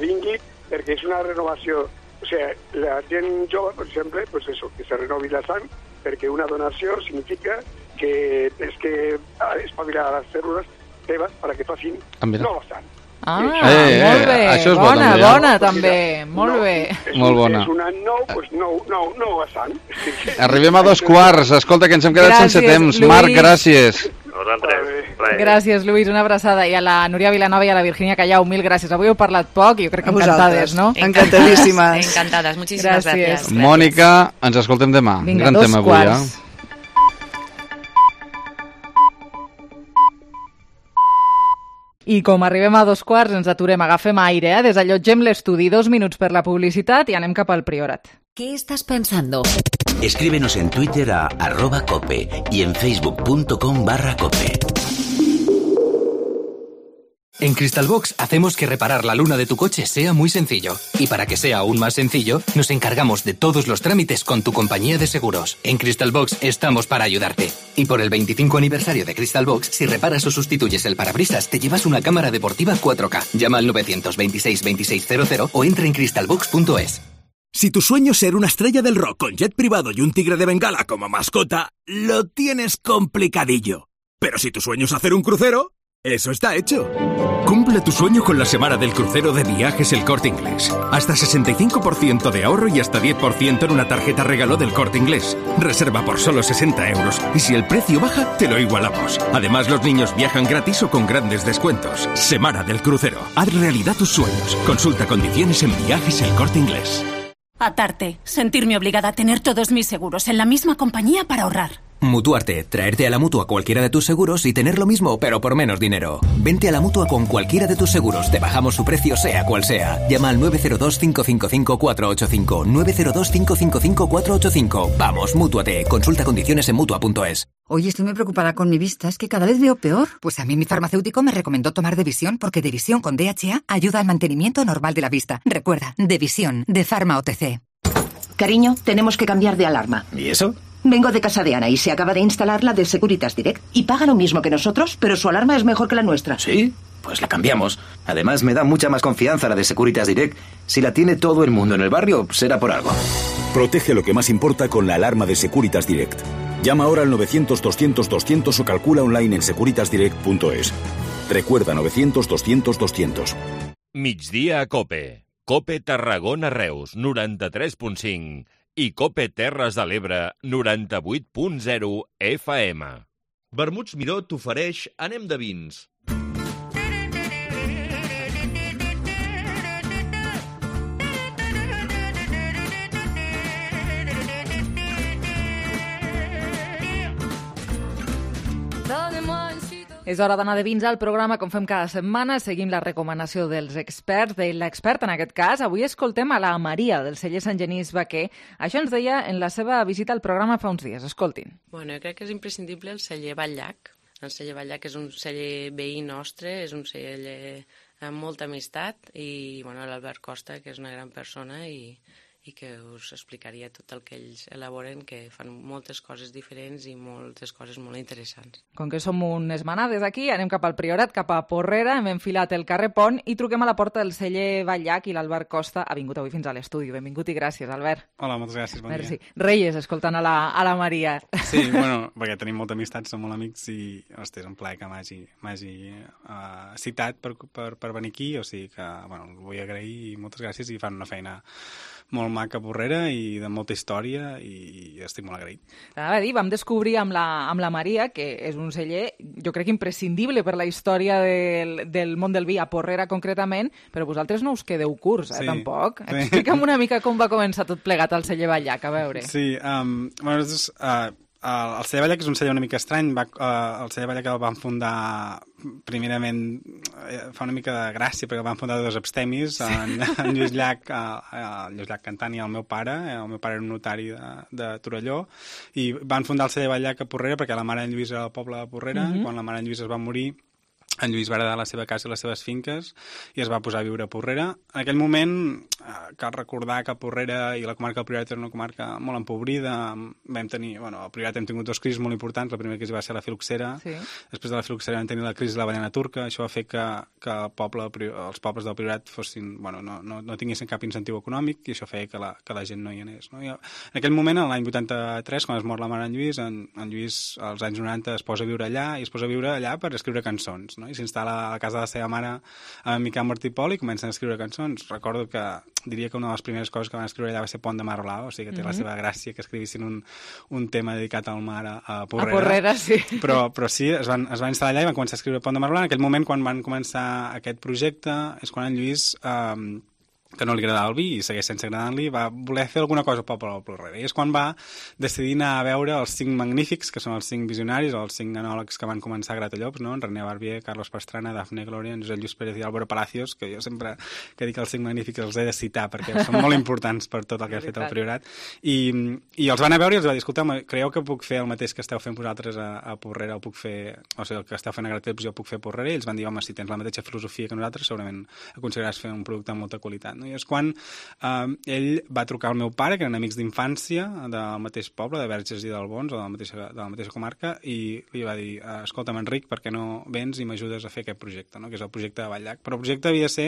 vingui, perquè és una renovació. O sigui, la gent jove, per exemple, pues eso, que se renovi la sang, perquè una donació significa que és que espavilar a les cèl·lules teves perquè facin nova sang. Molt bé, això és bona també, molt bé. Molt bona. És una nova sang. Arribem a 2:15, escolta, que ens hem quedat sense temps. Marc, gràcies. Gràcies, Lluís, una abraçada. I a la Núria Vilanova i a la Virginia Callau, mil gràcies. Avui heu parlat poc i jo crec que encantades, no? Encantadíssimes. Encantadas, muchísimas gracias. Mònica, ens escoltem demà. Vinga, gran tema avui, I com arribem a 2:15 ens aturem, agafem aire, desallotgem l'estudi, 2 minuts per la publicitat i anem cap al Priorat. ¿Qué estás pensando? Escríbenos en Twitter a @cope y en facebook.com/cope. En Crystalbox hacemos que reparar la luna de tu coche sea muy sencillo. Y para que sea aún más sencillo, nos encargamos de todos los trámites con tu compañía de seguros. En Crystalbox estamos para ayudarte. Y por el 25 aniversario de Crystalbox, si reparas o sustituyes el parabrisas, te llevas una cámara deportiva 4K. Llama al 926 2600 o entra en crystalbox.es. Si tu sueño es ser una estrella del rock con jet privado y un tigre de Bengala como mascota, lo tienes complicadillo. Pero si tu sueño es hacer un crucero, eso está hecho. Cumple tu sueño con la semana del crucero de Viajes El Corte Inglés. Hasta 65% de ahorro y hasta 10% en una tarjeta regalo del Corte Inglés. Reserva por solo 60 euros y si el precio baja, te lo igualamos. Además, los niños viajan gratis o con grandes descuentos. Semana del crucero. Haz realidad tus sueños. Consulta condiciones en Viajes El Corte Inglés. Atarte. Sentirme obligada a tener todos mis seguros en la misma compañía para ahorrar. Mutuarte, traerte a la Mutua cualquiera de tus seguros y tener lo mismo, pero por menos dinero. Vente a la Mutua con cualquiera de tus seguros, te bajamos su precio sea cual sea. Llama al 902-555-485, 902-555-485. Vamos, mútuate, consulta condiciones en Mutua.es. Oye, estoy muy preocupada con mi vista, es que cada vez veo peor. Pues a mí mi farmacéutico me recomendó tomar Devisión porque Devisión con DHA ayuda al mantenimiento normal de la vista. Recuerda, Devisión, de Pharma OTC. Cariño, tenemos que cambiar de alarma. ¿Y eso? Vengo de casa de Ana y se acaba de instalar la de Securitas Direct. Y paga lo mismo que nosotros, pero su alarma es mejor que la nuestra. ¿Sí? Pues la cambiamos. Además, me da mucha más confianza la de Securitas Direct. Si la tiene todo el mundo en el barrio, será por algo. Protege lo que más importa con la alarma de Securitas Direct. Llama ahora al 900-200-200 o calcula online en securitasdirect.es. Recuerda 900-200-200. Migdia a Cope. Cope Tarragona Reus, 93.5. I Cope Terres de l'Ebre, 98.0 FM. Vermuts Miró t'ofereix Anem de vins. És hora d'anar de vins al programa, com fem cada setmana. Seguim la recomanació dels experts, de l'expert en aquest cas. Avui escoltem a la Maria, del celler Sant Genís Vaquer. Això ens deia en la seva visita al programa fa uns dies. Escoltin. Bueno, jo crec que és imprescindible el celler Batllac. El celler Batllac és un celler veí nostre, és un celler amb molta amistat i bueno, l'Albert Costa, que és una gran persona i que us explicaria tot el que ells elaboren, que fan moltes coses diferents i moltes coses molt interessants. Com que som unes manades aquí, anem cap al Priorat, cap a Porrera, hem enfilat el carrer Pont i truquem a la porta del celler Batllac i l'Albert Costa ha vingut avui fins a l'estudi. Benvingut i gràcies, Albert. Hola, moltes gràcies, bon Merci. dia. Reyes, escoltant a la Maria. Sí, bueno, perquè tenim molta amistat, som molt amics i, hosti, és un plaer que m'hagi citat per venir aquí, o sigui que, bueno, el vull agrair i moltes gràcies i fan una feina molt maca a Porrera i de molta història i estic molt agraït. Anava a dir, vam descobrir amb la Maria que és un celler, jo crec, imprescindible per la història del món del vi, a Porrera concretament, però vosaltres no us quedeu curts, tampoc. Sí. Explica'm una mica com va començar tot plegat al celler Batllac, a veure. Sí, bueno, el celler Batllac és un celler una mica estrany. El celler Batllac el van fundar primerament, fa una mica de gràcia perquè el van fundar dos abstemis, en Lluís Llach Cantant i el meu pare era un notari de Torelló, i van fundar el celler Batllac a Porrera perquè la mare en Lluís era del poble de Porrera. Quan la mare en Lluís es va morir en Lluís va heredar la seva casa i les seves finques i es va posar a viure a Porrera. En aquell moment cal recordar que Porrera i la comarca del Priorat era una comarca molt empobrida. Vam tenir, al Priorat hem tingut 2 crisis molt importants. La primera crisi va ser la filoxera. Sí. Després de la filoxera vam tenir la crisi de l'avellana turca. Això va fer que els pobles del Priorat fossin, no tinguessin cap incentiu econòmic i això feia que la gent no hi anés. No? I en aquell moment, l'any 83, quan es mor la mare en Lluís als anys 90 es posa a viure allà i es posa a viure allà per escriure cançons, no? I s'instal·la a la casa de la seva mare a Miquel Martí i Pol i comencen a escriure cançons. Recordo que diria que una de les primeres coses que van escriure allà va ser Pont de Mar Blau, o sigui que té la seva gràcia que escrivissin un tema dedicat al mar a Porrera. A Porrera, sí. Però sí, es van instal·lar allà i van començar a escriure Pont de Mar Blau. En aquell moment, quan van començar aquest projecte, és quan en Lluís que no li agradava el vi i segueix sense agradar-li, va voler fer alguna cosa pel poble del Porrera. I és quan va decidir anar a veure els 5 magnífics, que són els 5 visionaris, o els 5 anòlegs que van començar a Gratallops, no? En René Barbier, Carlos Pastrana, Dafne Gloria, Josep Lluís Pérez i Álvaro Palacios, que jo sempre que dic els 5 magnífics els he de citar perquè són molt importants per tot el que ha fet el Priorat. I els van a veure i els va dir, escolta, creieu que puc fer el mateix que esteu fent vosaltres a Porrera, o puc fer, o sigui, el que esteu fent a Gratallops jo puc fer a Porrera? I ells van dir, home, si tens la mateixa filosofia que nosaltres, segurament aconseguiràs fer un producte amb molta qualitat. No? I és quan ell va trucar al meu pare, que eren amics d'infància del mateix poble, de Verges i d'Albons, o de la mateixa comarca, i li va dir, escolta'm, Enric, per què no vens i m'ajudes a fer aquest projecte, no? Que és el projecte de Vall-llac. Però el projecte havia de ser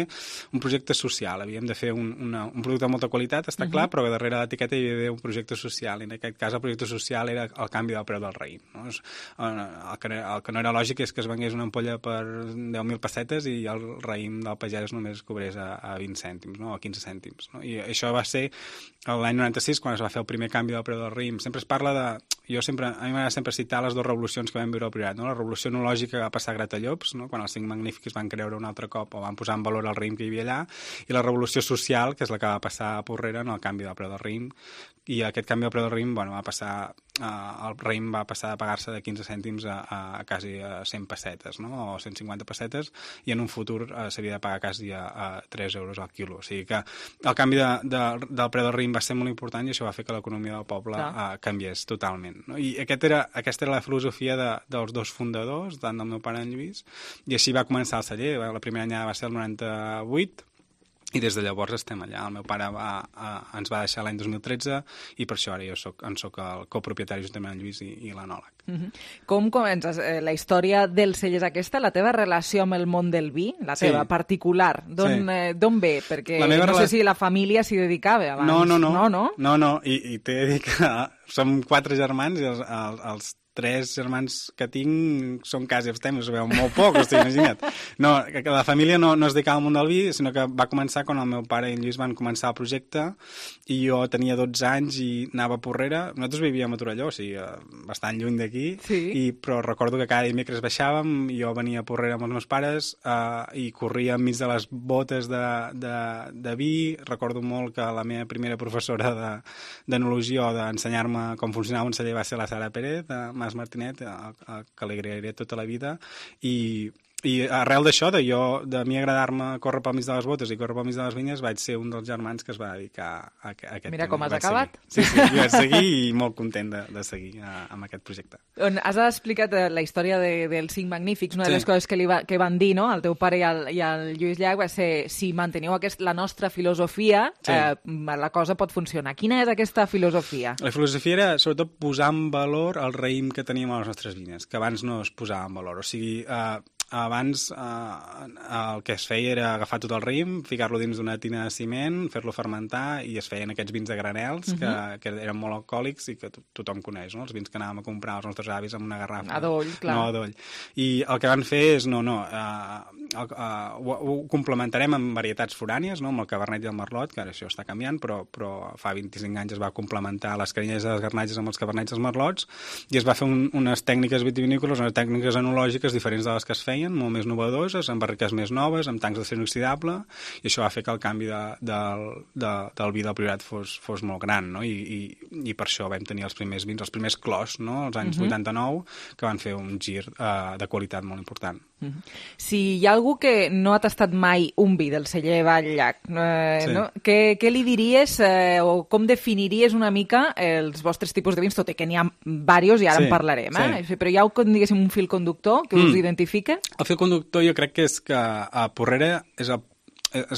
un projecte social, havíem de fer un producte de molta qualitat, està clar, però darrere l'etiqueta hi havia d'haver un projecte social, i en aquest cas el projecte social era el canvi del preu del raïm. No? El que no era lògic és que es vengués una ampolla per 10.000 pessetes i el raïm del pagès només cobrés a 20 cèntims, no? O a 15 cèntims. No? I això va ser l'any 96 quan es va fer el primer canvi del preu del raïm. Sempre es parla de... A mi m'agrada sempre citar les 2 revolucions que vam viure al Priorat, no? La revolució enològica que va passar a Gratallops, no? Quan els 5 magnífics van creure un altre cop o van posar en valor el raïm que hi havia allà, i la revolució social, que és la que va passar a Porrera en el canvi del preu del raïm. I aquest canvi del preu del raïm, va passar... el raïm va passar a pagar-se de 15 cèntims a quasi 100 pessetes, no? O 150 pessetes, i en un futur s'havia de pagar quasi a 3 euros al quilo. O sigui que el canvi del preu del raïm va ser molt important i això va fer que l'economia del poble canviés totalment. No? I aquesta era la filosofia dels 2 fundadors, tant del meu pare en Lluís, i així va començar el celler. La primera anyada va ser el 98, i des de llavors estem allà. El meu pare ens va deixar l'any 2013 i per això ara jo soc el copropietari juntament amb Lluís i l'anòleg. Com comences la història del celler és aquesta? La teva relació amb el món del vi, la teva particular, d'on ve? Perquè no sé si la família s'hi dedicava abans. No, i t'he de dir que som 4 germans i els 3 germans que tinc són quasi abstemis, ho veu molt poc, imagina't. No, que la família no es dedicava al món del vi, sinó que va començar quan el meu pare i en Lluís van començar el projecte i jo tenia 12 anys i anava a Porrera. Nosaltres vivíem a Torelló, o sigui, bastant lluny d'aquí, però recordo que cada dimecres baixàvem i jo venia a Porrera amb els meus pares i corria enmig de les botes de vi. Recordo molt que la meva primera professora d'enologia o d'ensenyar-me com funcionava un celler va ser la Sara Pérez, Mas Martinet, que li agrairé tota la vida, i arrel d'això, de mi agradar-me córrer pel mig de les botes i córrer pel mig de les vinyes, vaig ser un dels germans que es va dedicar a aquest tema. Mira com has acabat. Sí, jo vaig seguir i molt content de seguir amb aquest projecte. Has explicat la història dels 5 magnífics. Una de les coses que van dir, no?, el teu pare i el Lluís Llach va ser, si manteniu la nostra filosofia, la cosa pot funcionar. Quina és aquesta filosofia? La filosofia era, sobretot, posar en valor el raïm que teníem a les nostres vinyes, que abans no es posava en valor. O sigui, abans el que es feia era agafar tot el raïm, ficar-lo dins d'una tina de ciment, fer-lo fermentar i es feien aquests vins de granels que eren molt alcohòlics i que tothom coneix, no? Els vins que anàvem a comprar als nostres avis amb una garrafa. A doll, clar. No, a doll. I el que van fer és, ho complementarem amb varietats forànies, no? Amb el cabernet i el merlot, que ara això està canviant, però fa 25 anys es va complementar les canyelles i les garnatges amb els cabernets i els merlots i es va fer unes tècniques vitivinícoles, unes tècniques enològiques diferents de les que es feien, molt més novedoses, amb barriques més noves, amb tancs d'acer inoxidable, i això va fer que el canvi del vi del Priorat fos molt gran, no? I per això vam tenir els primers vins, els primers clos, als anys 89, que van fer un gir de qualitat molt important. Si hi ha algú que no ha tastat mai un vi del celler Batllac, no? Què li diries o com definiries una mica els vostres tipus de vins, tot i que n'hi ha diversos i ara en parlarem, però hi ha diguéssim un fil conductor que us identifica? El fil conductor jo crec que és que a Porrera és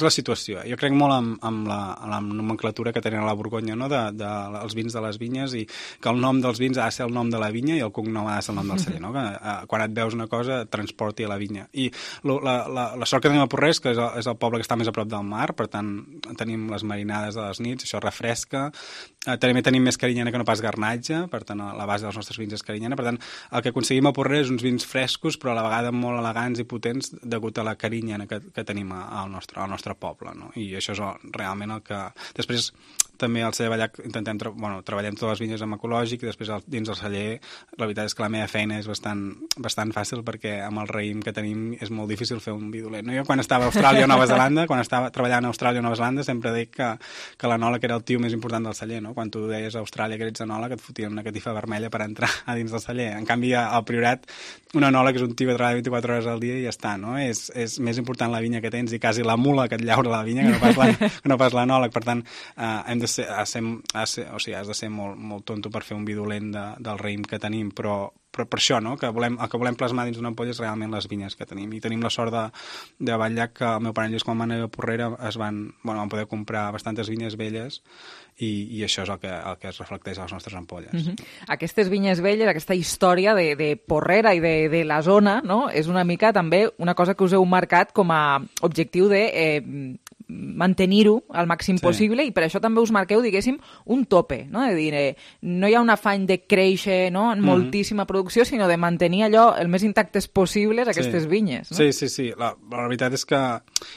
la situació. Jo crec molt amb la nomenclatura que tenen a la Borgonya, no? dels vins de les vinyes, i que el nom dels vins ha de ser el nom de la vinya i el cognom ha de ser el nom del celler, no? Que quan et veus una cosa et transporti a la vinya. I la sort que tenim a Porrera és que és el poble que està més a prop del mar, per tant tenim les marinades de les nits, això refresca, també tenim més carinyena que no pas garnatge, per tant la base dels nostres vins és carinyena, per tant el que aconseguim a Porrera és uns vins frescos però a la vegada molt elegants i potents degut a la carinyena que tenim al nostre poble, no? I això és realment el que... Després també al celler Batllac treballem totes les vinyes amb ecològic i després dins del celler la veritat és que la meva feina és bastant fàcil perquè amb el raïm que tenim és molt difícil fer un vi dolent. No? Jo quan estava a Austràlia o Nova Zelanda, quan estava treballant a Austràlia o Nova Zelanda sempre dic que l'enòleg era el tio més important del celler, no? Quan tu deies a Austràlia que ets enòleg et fotien una catifa vermella per entrar a dins del celler. En canvi al Priorat un enòleg és un tio que treballa 24 hores al dia i ja està, no? És més important la vinya que tens i quasi la mula que et llaura la vinya que no pas l'enòleg. Per tant, has de ser molt tonto per fer un vi dolent del raïm que tenim, però per això, no? El que volem plasmar dins d'una ampolla és realment les vinyes que tenim. I tenim la sort de Batllac que el meu pare Lluís, quan va anar a Porrera, van poder comprar bastantes vinyes velles i això és el que es reflecteix a les nostres ampolles. Aquestes vinyes velles, aquesta història de Porrera i de la zona, no? És una mica també una cosa que us heu marcat com a objectiu de mantenir-ho al màxim possible i per això també us marqueu, diguéssim, un tope, no? De dir, no hi ha un afany de créixer, no? En moltíssima producció, sinó de mantenir allò el més intactes possibles aquestes vinyes. No? Sí. La veritat és que,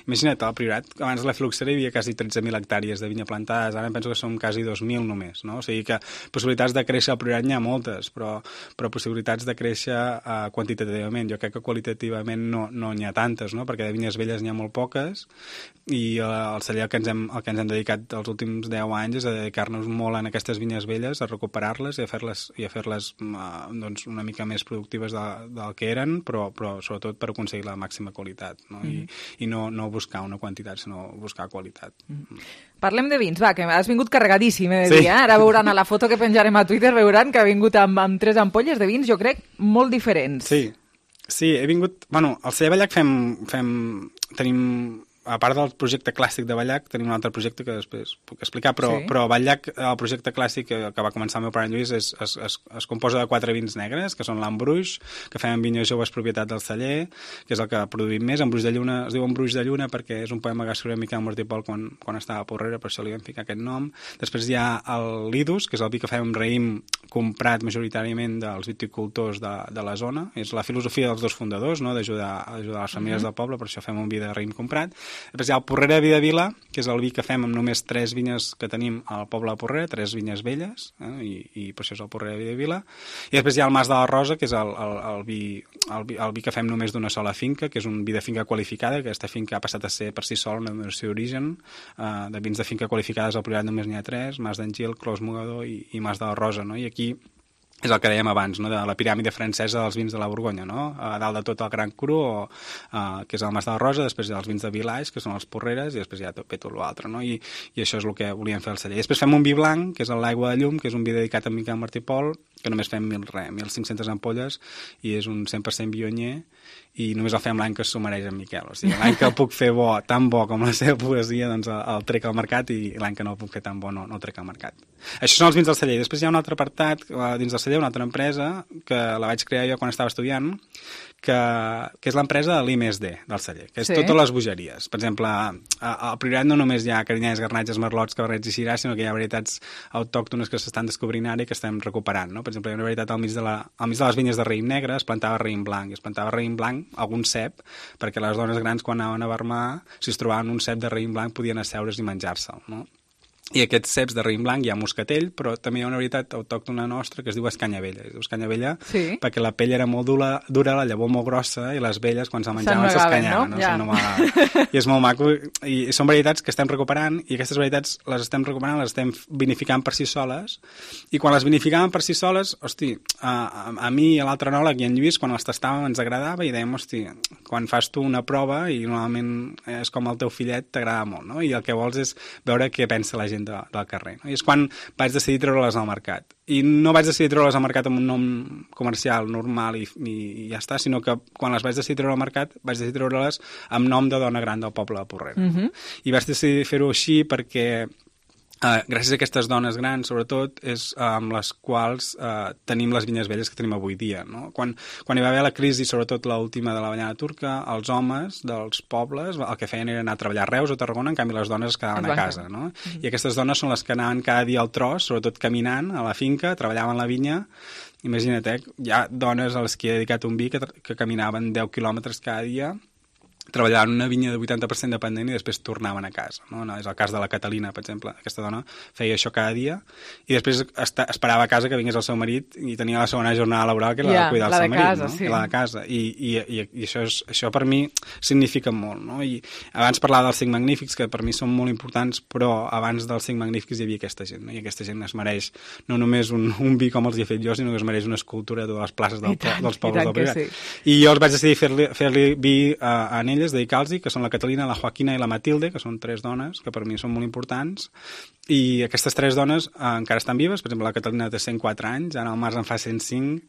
imagina't, al Priorat, abans de la filoxera hi havia quasi 13.000 hectàrees de vinya plantades, ara penso que són quasi 2.000 només, no? O sigui que possibilitats de créixer al Priorat n'hi ha moltes, però possibilitats de créixer quantitativament. Jo crec que qualitativament no n'hi ha tantes, no? Perquè de vinyes velles n'hi ha molt poques i el celler al que ens hem dedicat els últims 10 anys és a dedicar-nos molt en aquestes vinyes velles, a recuperar-les i a fer-les doncs, una mica més productives del que eren, però sobretot per aconseguir la màxima qualitat, no? I no buscar una quantitat, sinó buscar qualitat. Parlem de vins, va, que has vingut carregadíssim, Ara veuran a la foto que penjarem a Twitter, veuran que ha vingut amb 3 ampolles de vins, jo crec, molt diferents. Sí, he vingut... Bueno, al celler Batllac tenim... A part del projecte clàssic de Batllac, tenim un altre projecte que després puc explicar, però Batllac, el projecte clàssic que va començar el meu pare Lluís, es composa de 4 vins negres, que són l'Embruix, que fem amb vinyes joves propietat del celler, que és el que produïm més. Embruix de Lluna, es diu Embruix de Lluna perquè és un poema que va escriure Miquel Martí i Pol quan estava a Porrera, per això li vam ficar aquest nom. Després hi ha el Lidus, que és el vi que fem amb raïm comprat majoritàriament dels viticultors de la zona. És la filosofia dels dos fundadors, no? d'ajudar les famílies del poble, per això fem un vi de raïm comprat. Després hi ha el Porrera de Vida Vila, que és el vi que fem amb només 3 vinyes que tenim al poble de Porrera, 3 vinyes velles, i per això és el Porrera de Vida Vila. I després hi ha el Mas de la Rosa, que és el vi que fem només d'una sola finca, que és un vi de finca qualificada, que aquesta finca ha passat a ser per si sol una denominació d'origen. De vins de finca qualificades al Priorat només n'hi ha 3, Mas d'Angil, Clos Mogador i Mas de la Rosa, no? I aquí és el que dèiem abans, no? De la piràmide francesa dels vins de la Borgonya, no? A dalt de tot el Gran Cru, que és el Mas de la Rosa, després hi ha els vins de Vilaix, que són els Porreres, i després hi ha tot l'altre, no? I això és el que volíem fer al celler. Després fem un vi blanc, que és l'Aigua de Llum, que és un vi dedicat a Miquel Martí i Pol, que només fem 1.500 ampolles, i és un 100% vionyer, i només el fem l'any que s'ho mereix en Miquel. O sigui, l'any que el puc fer tan bo com la seva poesia, doncs el trec al mercat, i l'any que no el puc fer tan bo no el trec al mercat. Això són els vins del celler. Després hi ha un altre apartat dins del celler, una altra empresa, que la vaig crear jo quan estava estudiant, que és l'empresa de l'I+D del celler, que és totes les bogeries. Per exemple, al Priorat no només hi ha carinyes, garnatges, merlots, caberrets i siràs, sinó que hi ha varietats autòctones que s'estan descobrint ara i que estem recuperant, no? Per exemple, hi ha una varietat al mig de les vinyes de raïm negre, es plantava raïm blanc, i es plantava raïm blanc, algun cep, perquè les dones grans quan anaven a vermar, si es trobaven un cep de raïm blanc podien asseure's i menjar-se'l, no? I aquests ceps de raïm blanc hi ha moscatell, però també hi ha una varietat autòctona nostra que es diu escanyavella. Es diu escanyavella perquè la pell era molt dura, la llavor molt grossa, i les velles, quan se'l menjaven, s'escanyaven. No? Ja. I és molt maco. I són varietats que estem recuperant, i aquestes varietats les estem recuperant, les estem vinificant per si soles, i quan les vinificàvem per si soles, hosti, a mi i a l'altre enòleg i en Lluís, quan les tastàvem ens agradava, i dèiem, hosti, quan fas tu una prova, i normalment és com el teu fillet, t'agrada molt, no? I el que vols és veure què pensa la gent del carrer. No? I és quan vaig decidir treure-les al mercat. I no vaig decidir treure-les al mercat amb un nom comercial normal i ja està, sinó que quan les vaig decidir treure al mercat vaig decidir treure-les amb nom de dona gran del poble de Porrera. I vaig decidir fer-ho així perquè gràcies a aquestes dones grans, sobretot, és amb les quals tenim les vinyes velles que tenim avui dia. No? Quan hi va haver la crisi, sobretot l'última de l'avellana turca, els homes dels pobles el que feien era anar a treballar a Reus o Tarragona, en canvi les dones es quedaven a casa. No? I aquestes dones són les que anaven cada dia al tros, sobretot caminant a la finca, treballaven la vinya. Imagina't, hi ha dones a les que he dedicat un vi que caminaven 10 quilòmetres cada dia, treballaven una vinya de 80% dependent i després tornaven a casa. No? És el cas de la Catalina, per exemple. Aquesta dona feia això cada dia i després esperava a casa que vingués el seu marit i tenia la segona jornada laboral que era la de cuidar el seu marit. Casa, no? I la de casa. I això per mi significa molt. No? I abans parlava dels 5 magnífics, que per mi són molt importants, però abans dels 5 magnífics hi havia aquesta gent. No? I aquesta gent es mereix no només un vi com els hi he fet jo, sinó que es mereix una escultura de totes les places dels pobles del Priorat. I jo els vaig decidir fer-li vi a elles, dedicar-los-hi, que són la Catalina, la Joaquina i la Matilde, que són 3 dones que per mi són molt importants, i aquestes 3 dones encara estan vives. Per exemple, la Catalina té 104 anys, ara al març en fa 105,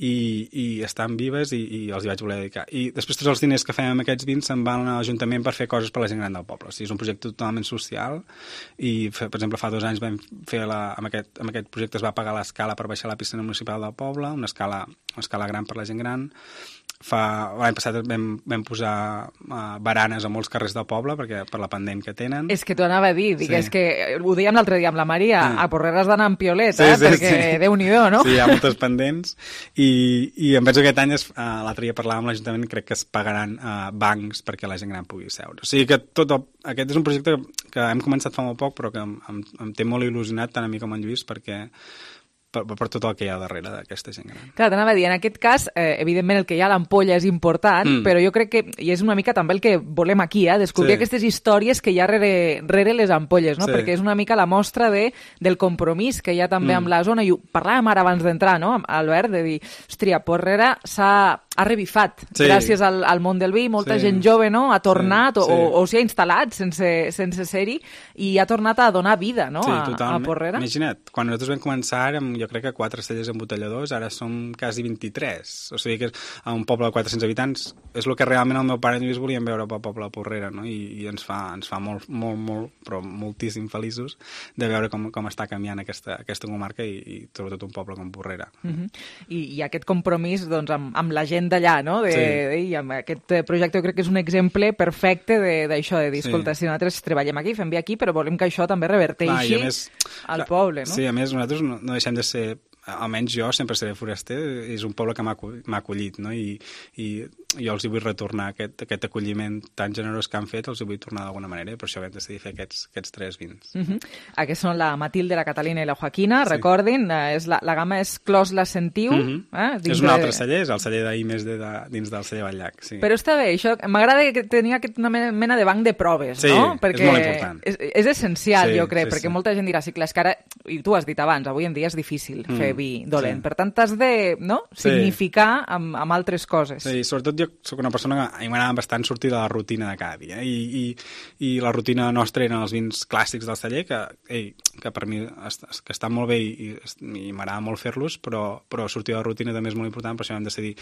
i estan vives i els hi vaig voler dedicar. I després tots els diners que fem amb aquests vins se'n van a l'Ajuntament per fer coses per la gent gran del poble. O sigui, és un projecte totalment social i, per exemple, fa 2 anys vam fer amb aquest projecte es va pagar l'escala per baixar la piscina municipal del poble, una escala gran per la gent gran. L'any passat vam posar baranes a molts carrers del poble per la pendent que tenen. És que t'ho anava a dir, és que ho dèiem l'altre dia amb la Maria, a Porrera has d'anar amb piolet, perquè Déu-n'hi-do, no? Sí, hi ha moltes pendents i em penso que aquest any l'altre dia parlàvem amb l'Ajuntament, crec que es pagaran bancs perquè la gent gran pugui seure. O sigui que aquest és un projecte que hem començat fa molt poc, però que em té molt il·lusionat tant a mi com a en Lluís, perquè per tot el que hi ha darrere d'aquesta gent gran. Clar, t'anava a dir, en aquest cas, evidentment el que hi ha a l'ampolla és important, però jo crec que, i és una mica també el que volem aquí, descobrir aquestes històries que hi ha rere les ampolles, no? Perquè és una mica la mostra del compromís que hi ha també amb la zona, i ho parlàvem ara abans d'entrar, no, Albert, de dir, hòstia, Porrera ha revifat, gràcies al món del vi, molta gent jove, no?, ha tornat o s'hi ha instal·lat sense ser-hi i ha tornat a donar vida, no?, a Porrera. Imagina't, quan nosaltres vam començar jo crec que 4 cellers embotelladors, ara som quasi 23, o sigui que a un poble de 400 habitants és el que realment el meu pare i Lluís volien veure pel poble de Porrera, no? I ens fa molt, però moltíssim feliços de veure com està canviant aquesta comarca i sobretot un poble com Porrera. I aquest compromís doncs, amb la gent d'allà, no? I amb aquest projecte jo crec que és un exemple perfecte d'això, de dir, escolta, si nosaltres treballem aquí, fem bé aquí, però volem que això també reverteixi al poble, no? Sí, a més, nosaltres no deixem de ser, almenys jo sempre seré foraster, és un poble que m'ha acollit, no? I jo els hi vull retornar aquest acolliment tan generós que han fet, els hi vull tornar d'alguna manera, i per això vam decidir fer aquests 3 vins. Aquests són la Matilde, la Catalina i la Joaquina, recordin, la gamma és Clos la Sentiu. És un altre celler, és el celler d'I+D dins del celler Batllac. Però està bé, això m'agrada que tenia una mena de banc de proves, no? Perquè és molt important. És essencial, jo crec, perquè molta gent dirà, sí, clar, és que ara, i tu has dit abans, avui en dia és difícil fer vi dolent, per tant t'has de significar amb altres coses. Sí, sobretot jo soc una persona que a mi m'agrada bastant sortir de la rutina de cada dia, i la rutina nostra eren els vins clàssics del celler, que per mi que estan molt bé i m'agrada molt fer-los, però sortir de la rutina també és molt important, per això vam decidir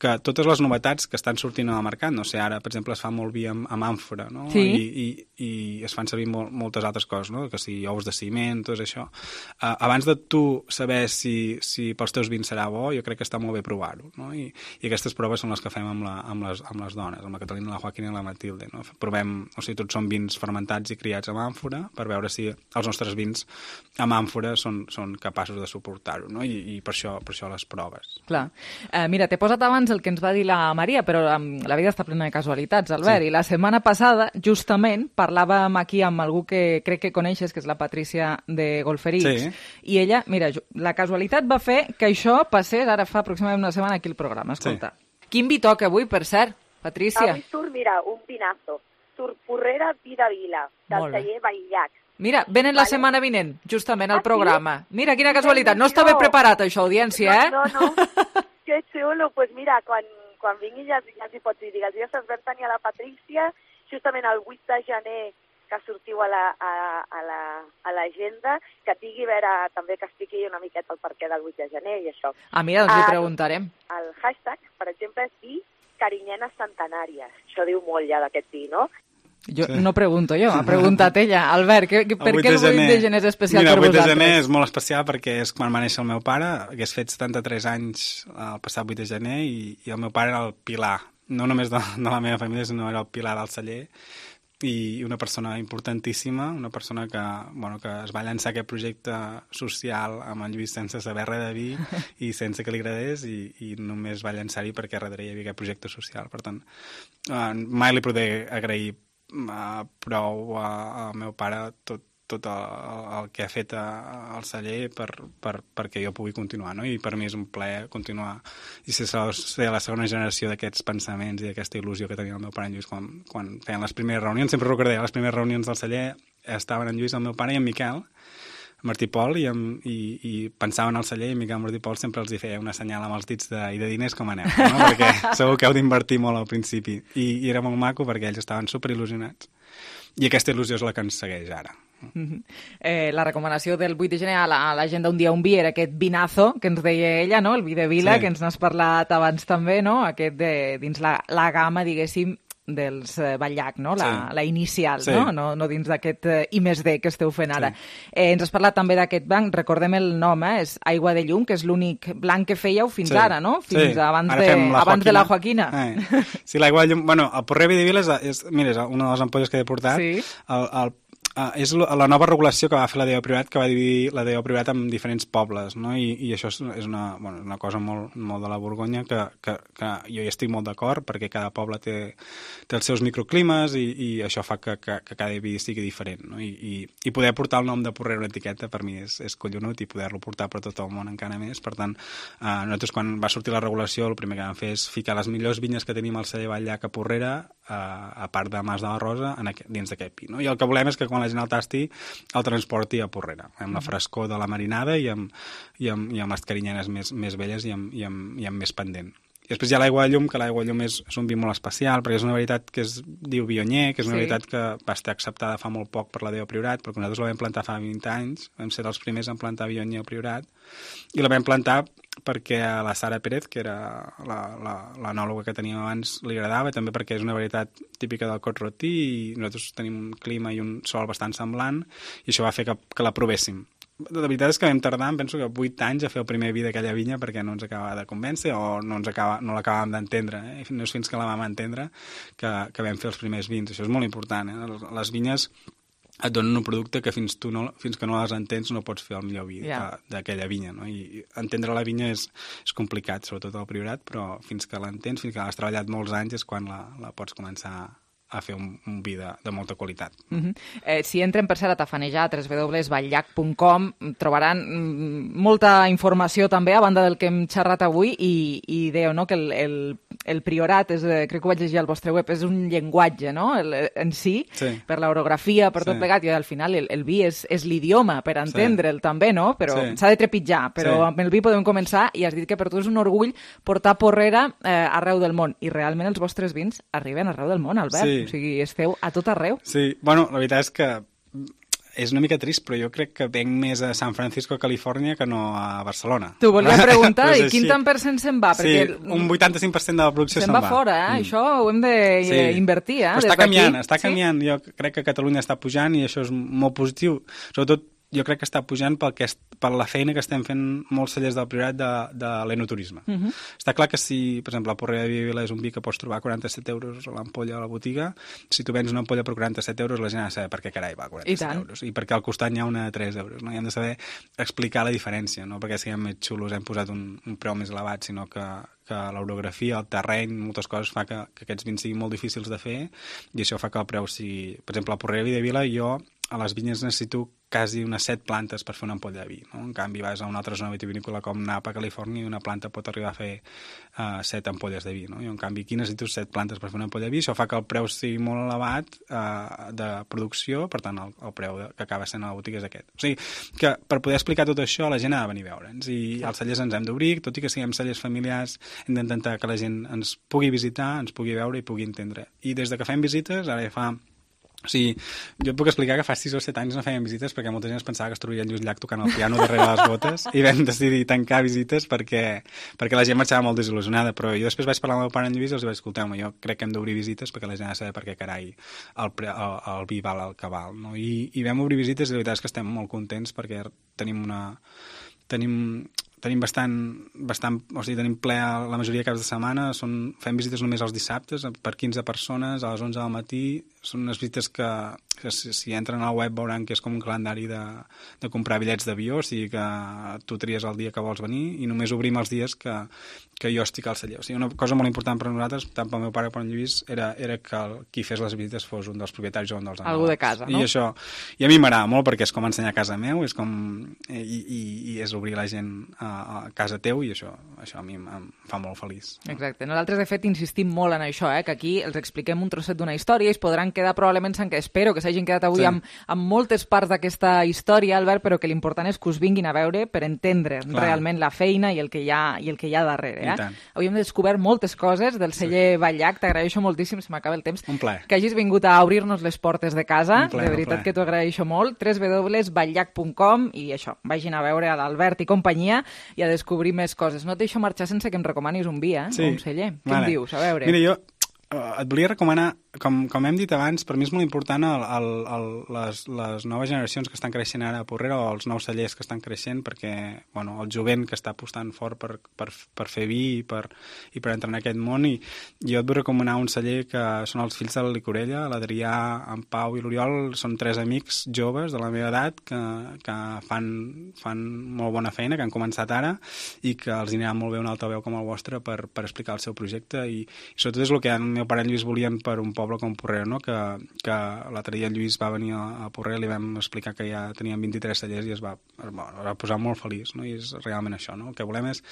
que totes les novetats que estan sortint al mercat, no sé, ara, per exemple, es fa molt vi amb àmfora, no? I es fan servir moltes altres coses, no? Que si ous de ciment, tot això. Abans de tu saber si pels teus vins serà bo, jo crec que està molt bé provar-ho, no? I aquestes proves són les que fem amb les dones, amb la Catalina, la Joaquina i la Matilde, no? Provem, o sigui, tots són vins fermentats i criats amb àmfora per veure si els nostres vins amb àmfora són capaços de suportar-ho, no? I per això les proves. Clar. Mira, t'he posat abans el que ens va dir la Maria, però la vida està plena de casualitats, Albert, i la setmana passada, justament, parlàvem aquí amb algú que crec que coneixes, que és la Patrícia de Golferits, i ella, mira, la casualitat va fer que això passés ara fa aproximadament una setmana aquí al programa. Escolta, quin vi toca avui, per cert, Patrícia? Avui surt, mira, un vinazo. Surt Porrera Vida Vila, del celler Vallllac. Mira, venen la setmana vinent, justament, al programa. Mira, quina casualitat. No estava preparat, això, audiència, eh? No. Que xulo. Pues mira, quan vingui ja t'hi pots dir. Digues, ja se'ls vam tenir a la Patrícia, justament el 8 de gener, que sortiu a l'agenda, que tingui a veure també que expliqui una miqueta el perquè del 8 de gener i això. Mira, doncs li preguntarem. El hashtag, per exemple, és vi carinyenes centenàries. Això diu molt ja d'aquest vi, no? No pregunto jo, ha preguntat ella. Albert, per què el 8 de gener és especial per vosaltres? Mira, el 8 de gener és molt especial perquè és quan va néixer el meu pare, hagués fet 73 anys el passat 8 de gener, i el meu pare era el pilar, no només de la meva família, sinó era el pilar del celler, i una persona importantíssima, una persona que es va llançar aquest projecte social amb en Lluís sense saber res de vi i sense que li agradés, i només va llançar-hi perquè darrere hi havia aquest projecte social. Per tant, mai li podré agrair prou al meu pare tot el que ha fet al celler perquè jo pugui continuar, no? I per mi és un plaer continuar i ser la segona generació d'aquests pensaments i d'aquesta il·lusió que tenia el meu pare en Lluís quan feien les primeres reunions. Sempre recordaré, les primeres reunions del celler estaven en Lluís, el meu pare, i en Miquel Martí Pol, i pensaven al celler, i Miquel Martí Pol sempre els feia una senyal amb els dits i de diners com aneu, no? Perquè segur que heu d'invertir molt al principi, i era molt maco perquè ells estaven superil·lusionats, i aquesta il·lusió és la que ens segueix ara. La recomanació del 8 de gener a l'agenda Un dia un vi era aquest vinazo que ens deia ella, no? El vi de Vila, que ens n'has parlat abans també, no? Aquest dins la gamma, diguéssim, dels Vallllac, no? La inicial, no dins d'aquest I+D que esteu fent ara. Ens has parlat també d'aquest blanc, recordem el nom, és Aigua de Llum, que és l'únic blanc que fèieu fins ara, no? Fins abans de la Joaquina. Sí, l'Aigua de Llum, bueno, el Porrer Vidivila és una de les ampolles que he portat, és la nova regulació que va fer la DO Priorat, que va dividir la DO Priorat en diferents pobles, no? I això és una cosa molt de la Borgonya que jo hi estic molt d'acord, perquè cada poble té els seus microclimes, i això fa que cada vi sigui diferent, no? I poder portar el nom de Porrera a una etiqueta per mi és collonut, i poder-lo portar per tot el món encara més. Per tant, nosaltres quan va sortir la regulació el primer que vam fer és ficar les millors vinyes que tenim al celler Vallllac a Porrera, a part de Mas de la Rosa, dins d'aquest vi, no? I el que volem és que quan la gent el tasti el transporti a Porrera, amb la frescor de la marinada i amb les carinyenes més velles i amb més pendent. I després hi ha l'Aigua de Llum, que l'Aigua de Llum és un vi molt especial, perquè és una varietat que es diu Viognier, que és una varietat que va estar acceptada fa molt poc per la DO Priorat, perquè nosaltres la vam plantar fa 20 anys, vam ser els primers en plantar Viognier al Priorat, i la vam plantar perquè a la Sara Pérez, que era l'anòloga que teníem abans, li agradava, també perquè és una varietat típica del Cot-Rotí, i nosaltres tenim un clima i un sol bastant semblant, i això va fer que la provéssim. La veritat és que vam tardar, penso que 8 anys a fer el primer vi d'aquella vinya perquè no ens acabava de convèncer o no l'acabàvem d'entendre. No és fins que la vam entendre que vam fer els primers vins. Això és molt important. Les vinyes et donen un producte que fins que no les entens no pots fer el millor vi d'aquella vinya, no? I entendre la vinya és complicat, sobretot al Priorat, però fins que l'entens, fins que l'has treballat molts anys, és quan la pots començar a fer un vi de molta qualitat. Si entren per cert a tafanejar a www.vallllac.com trobaran molta informació també a banda del que hem xerrat avui, i dèieu, no?, que el Priorat, crec que ho vaig llegir al vostre web, és un llenguatge, no?, en si, per l'orografia, per tot plegat, i al final el vi és l'idioma per entendre'l també, no?, però s'ha de trepitjar, però amb el vi podem començar, i has dit que per tu és un orgull portar Porrera arreu del món, i realment els vostres vins arriben arreu del món, Albert. O sigui, esteu a tot arreu. Sí, bueno, la veritat és que és una mica trist, però jo crec que venc més a San Francisco, Califòrnia, que no a Barcelona. T'ho volia preguntar, i quin tant % se'n va? Sí, un 85% de la producció se'n va. Se'n va fora, Això ho hem d'invertir, Està canviant. Jo crec que Catalunya està pujant, i això és molt positiu, sobretot jo crec que està pujant per la feina que estem fent molts cellers del Priorat de l'enoturisme. Està clar que si, per exemple, la Porrera de Vila és un vi que pots trobar a 47 euros a l'ampolla a la botiga, si tu vens una ampolla per 47 euros, la gent ha de saber per què carai va a 47 euros. I perquè al costat hi ha una de 3 euros. No? I hem de saber explicar la diferència, no perquè siguem més xulos, hem posat un preu més elevat, sinó que l'orografia, el terreny, moltes coses fa que aquests vins siguin molt difícils de fer i això fa que el preu sigui... Per exemple, la Porrera de Vila, jo a les vinyes necessito quasi unes 7 plantes per fer una ampolla de vi. No? En canvi, vas a una altra zona vitivinícola com Napa, Califòrnia, i una planta pot arribar a fer 7 ampolles de vi. No? I en canvi, aquí necessito 7 plantes per fer una ampolla de vi. Això fa que el preu sigui molt elevat de producció, per tant, el preu que acaba sent a la botiga és aquest. O sigui, que per poder explicar tot això, la gent ha de venir a veure'ns. I els cellers ens hem d'obrir, tot i que siguem cellers familiars, hem d'intentar que la gent ens pugui visitar, ens pugui veure i pugui entendre. I des de que fem visites, ara ja fa... O sigui, jo et puc explicar que fa 6 o 7 anys no fèiem visites perquè molta gent es pensava que es trobaria en Lluís Llach tocant el piano darrere les botes i vam decidir tancar visites perquè la gent marxava molt desil·lusionada, però jo després vaig parlar amb el meu pare en Lluís i els vaig dir, escolteu-me, jo crec que hem d'obrir visites perquè la gent ha de saber per què carai el vi val el que val, no? I vam obrir visites i la veritat és que estem molt contents perquè tenim bastant, o sigui, tenim ple la majoria de caps de setmana, fem visites només els dissabtes per 15 persones a les 11 del matí, són unes visites que si entren a la web veuran que és com un calendari de comprar bitllets d'avió, o sigui que tu tries el dia que vols venir i només obrim els dies que jo estic al celler. O sigui, una cosa molt important per a nosaltres, tant pel meu pare com per en Lluís, era que qui fes les visites fos un dels propietaris o un dels enòlegs. Algú de casa, no? I a mi m'agrada molt perquè és com ensenyar a casa meu, és com i és obrir la gent a casa teu i això a mi em fa molt feliç. Exacte. Nosaltres, de fet, insistim molt en això, que aquí els expliquem un trosset d'una història i es podran quedar probablement espero que s'hagin quedat avui amb moltes parts d'aquesta història, Albert, però que l'important és que us vinguin a veure per entendre realment la feina i el que hi ha darrere. Avui hem descobert moltes coses del celler Batllach, t'agraeixo moltíssim, se m'acaba el temps, que hagis vingut a obrir-nos les portes de casa, de veritat que t'ho agraeixo molt, www.batllach.com i això, vagin a veure a l'Albert i companyia i a descobrir més coses. No et deixo marxar sense que em recomanis un vi, un celler. Què em dius? A veure. Mira, jo et volia recomanar, com hem dit abans, per mi és molt important les noves generacions que estan creixent ara a Porrera o els nous cellers que estan creixent perquè el jovent que està apostant fort per fer vi i per entrar en aquest món i jo et vull recomanar un celler que són els fills de la Licorella, l'Adrià, en Pau i l'Oriol, són 3 amics joves de la meva edat que fan molt bona feina, que han començat ara i que els anirà molt bé un altaveu com el vostre per explicar el seu projecte i sobretot és el que el meu pare i Lluís volien per un poble com Porrera, no? Que l'altre dia en Lluís va venir a Porrera i li vam explicar que ja tenien 23 cellers i es va posar molt feliç, no? I és realment això, no? El que volem és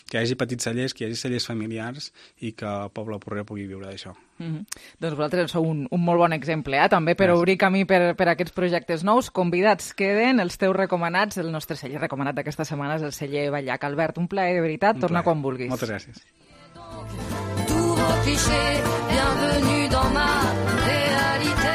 que hi hagi petits cellers, que hi hagi cellers familiars i que el poble de Porrera pugui viure d'això. Doncs vosaltres sou un molt bon exemple, també per obrir camí per aquests projectes nous. Convidats queden els teus recomanats, el nostre celler recomanat d'aquesta setmana és el celler Batllach. Albert, un plaer de veritat, torna quan vulguis. Moltes gràcies. Cliché, bienvenue dans ma réalité.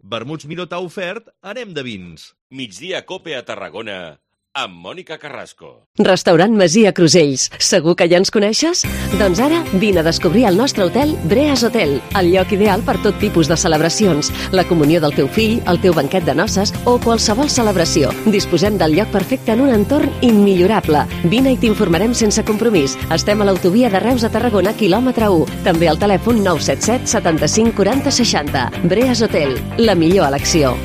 Vermuts Miró t'ha ofert Anem de vins. Migdia Cope a Tarragona amb Mònica Carrasco. Restaurant Masia Crusells. Segur que ja ens coneixes? Doncs ara vine a descobrir el nostre hotel Breas Hotel, el lloc ideal per tot tipus de celebracions, la comunió del teu fill, el teu banquet de noces o qualsevol celebració. Disposem del lloc perfecte en un entorn immillorable. Vine i t'informarem sense compromís. Estem a l'autovia de Reus a Tarragona, quilòmetre 1. També al telèfon 977 75 40 60. Breas Hotel, la millor elecció.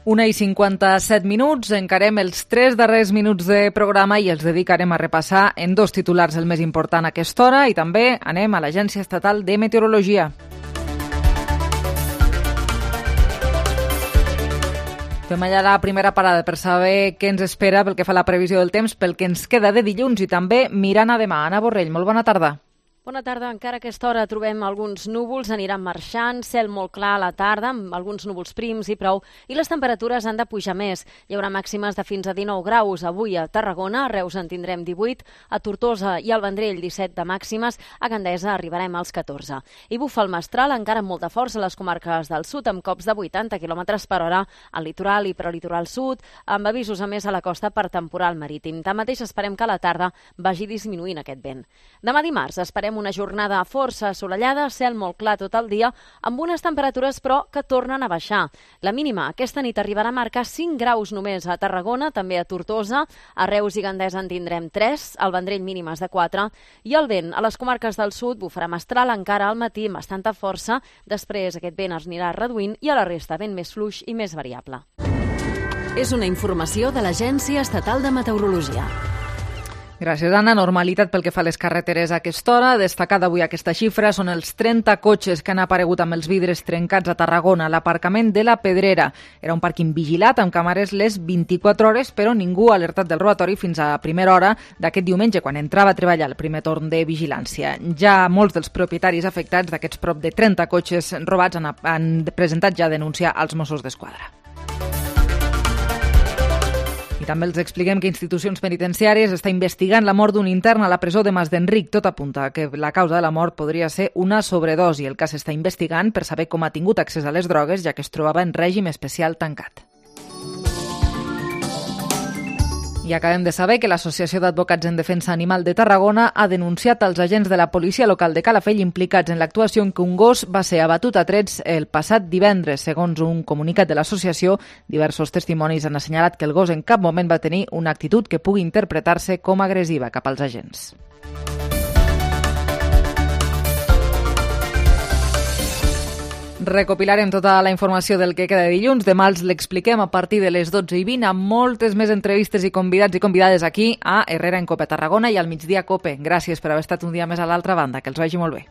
Una i 57 minuts, encarem els 3 darrers minuts de programa i els dedicarem a repassar en 2 titulars el més important a aquesta hora i també anem a l'Agència Estatal de Meteorologia. Fem allà la primera parada per saber què ens espera pel que fa a la previsió del temps, pel que ens queda de dilluns i també mirant a demà. Anna Borrell, molt bona tarda. Bona tarda. Encara a aquesta hora trobem alguns núvols, aniran marxant, cel molt clar a la tarda, amb alguns núvols prims i prou, i les temperatures han de pujar més. Hi haurà màximes de fins a 19 graus avui a Tarragona, a Reus en tindrem 18, a Tortosa i al Vendrell 17 de màximes, a Gandesa arribarem als 14. I bufa el mestral encara amb molta força a les comarques del sud, amb cops de 80 km per hora al litoral i prelitoral sud, amb avisos a més a la costa per temporal marítim. Tanmateix esperem que a la tarda vagi disminuint aquest vent. Demà dimarts esperem una jornada força assolellada, cel molt clar tot el dia, amb unes temperatures però que tornen a baixar. La mínima aquesta nit arribarà a marcar 5 graus només a Tarragona, també a Tortosa, a Reus i Gandesa en tindrem 3, al Vendrell mínimes de 4, i el vent a les comarques del sud bufarà mestral encara al matí amb bastanta força, després aquest vent es anirà reduint i a la resta vent més fluix i més variable. És una informació de l'Agència Estatal de Meteorologia. Gràcies, Anna. Normalitat pel que fa a les carreteres a aquesta hora. Destacada avui aquesta xifra són els 30 cotxes que han aparegut amb els vidres trencats a Tarragona, a l'aparcament de la Pedrera. Era un pàrquing vigilat amb càmeres les 24 hores, però ningú ha alertat del robatori fins a primera hora d'aquest diumenge, quan entrava a treballar el primer torn de vigilància. Ja molts dels propietaris afectats d'aquests prop de 30 cotxes robats han presentat ja denúncia als Mossos d'Esquadra. I també els expliquem que institucions penitenciàries està investigant la mort d'un intern a la presó de Mas d'Enric. Tot apunta que la causa de la mort podria ser una sobredosi. El cas s'està investigant per saber com ha tingut accés a les drogues, ja que es trobava en règim especial tancat. I acabem de saber que l'Associació d'Advocats en Defensa Animal de Tarragona ha denunciat als agents de la policia local de Calafell implicats en l'actuació en què un gos va ser abatut a trets el passat divendres. Segons un comunicat de l'associació, diversos testimonis han assenyalat que el gos en cap moment va tenir una actitud que pugui interpretar-se com agressiva cap als agents. Recopilarem tota la informació del que queda de dilluns. Demà els l'expliquem a partir de les 12:20 amb moltes més entrevistes i convidats i convidades aquí a Herrera en Cope Tarragona i al Migdia Cope. Gràcies per haver estat un dia més a l'altra banda. Que els vagi molt bé.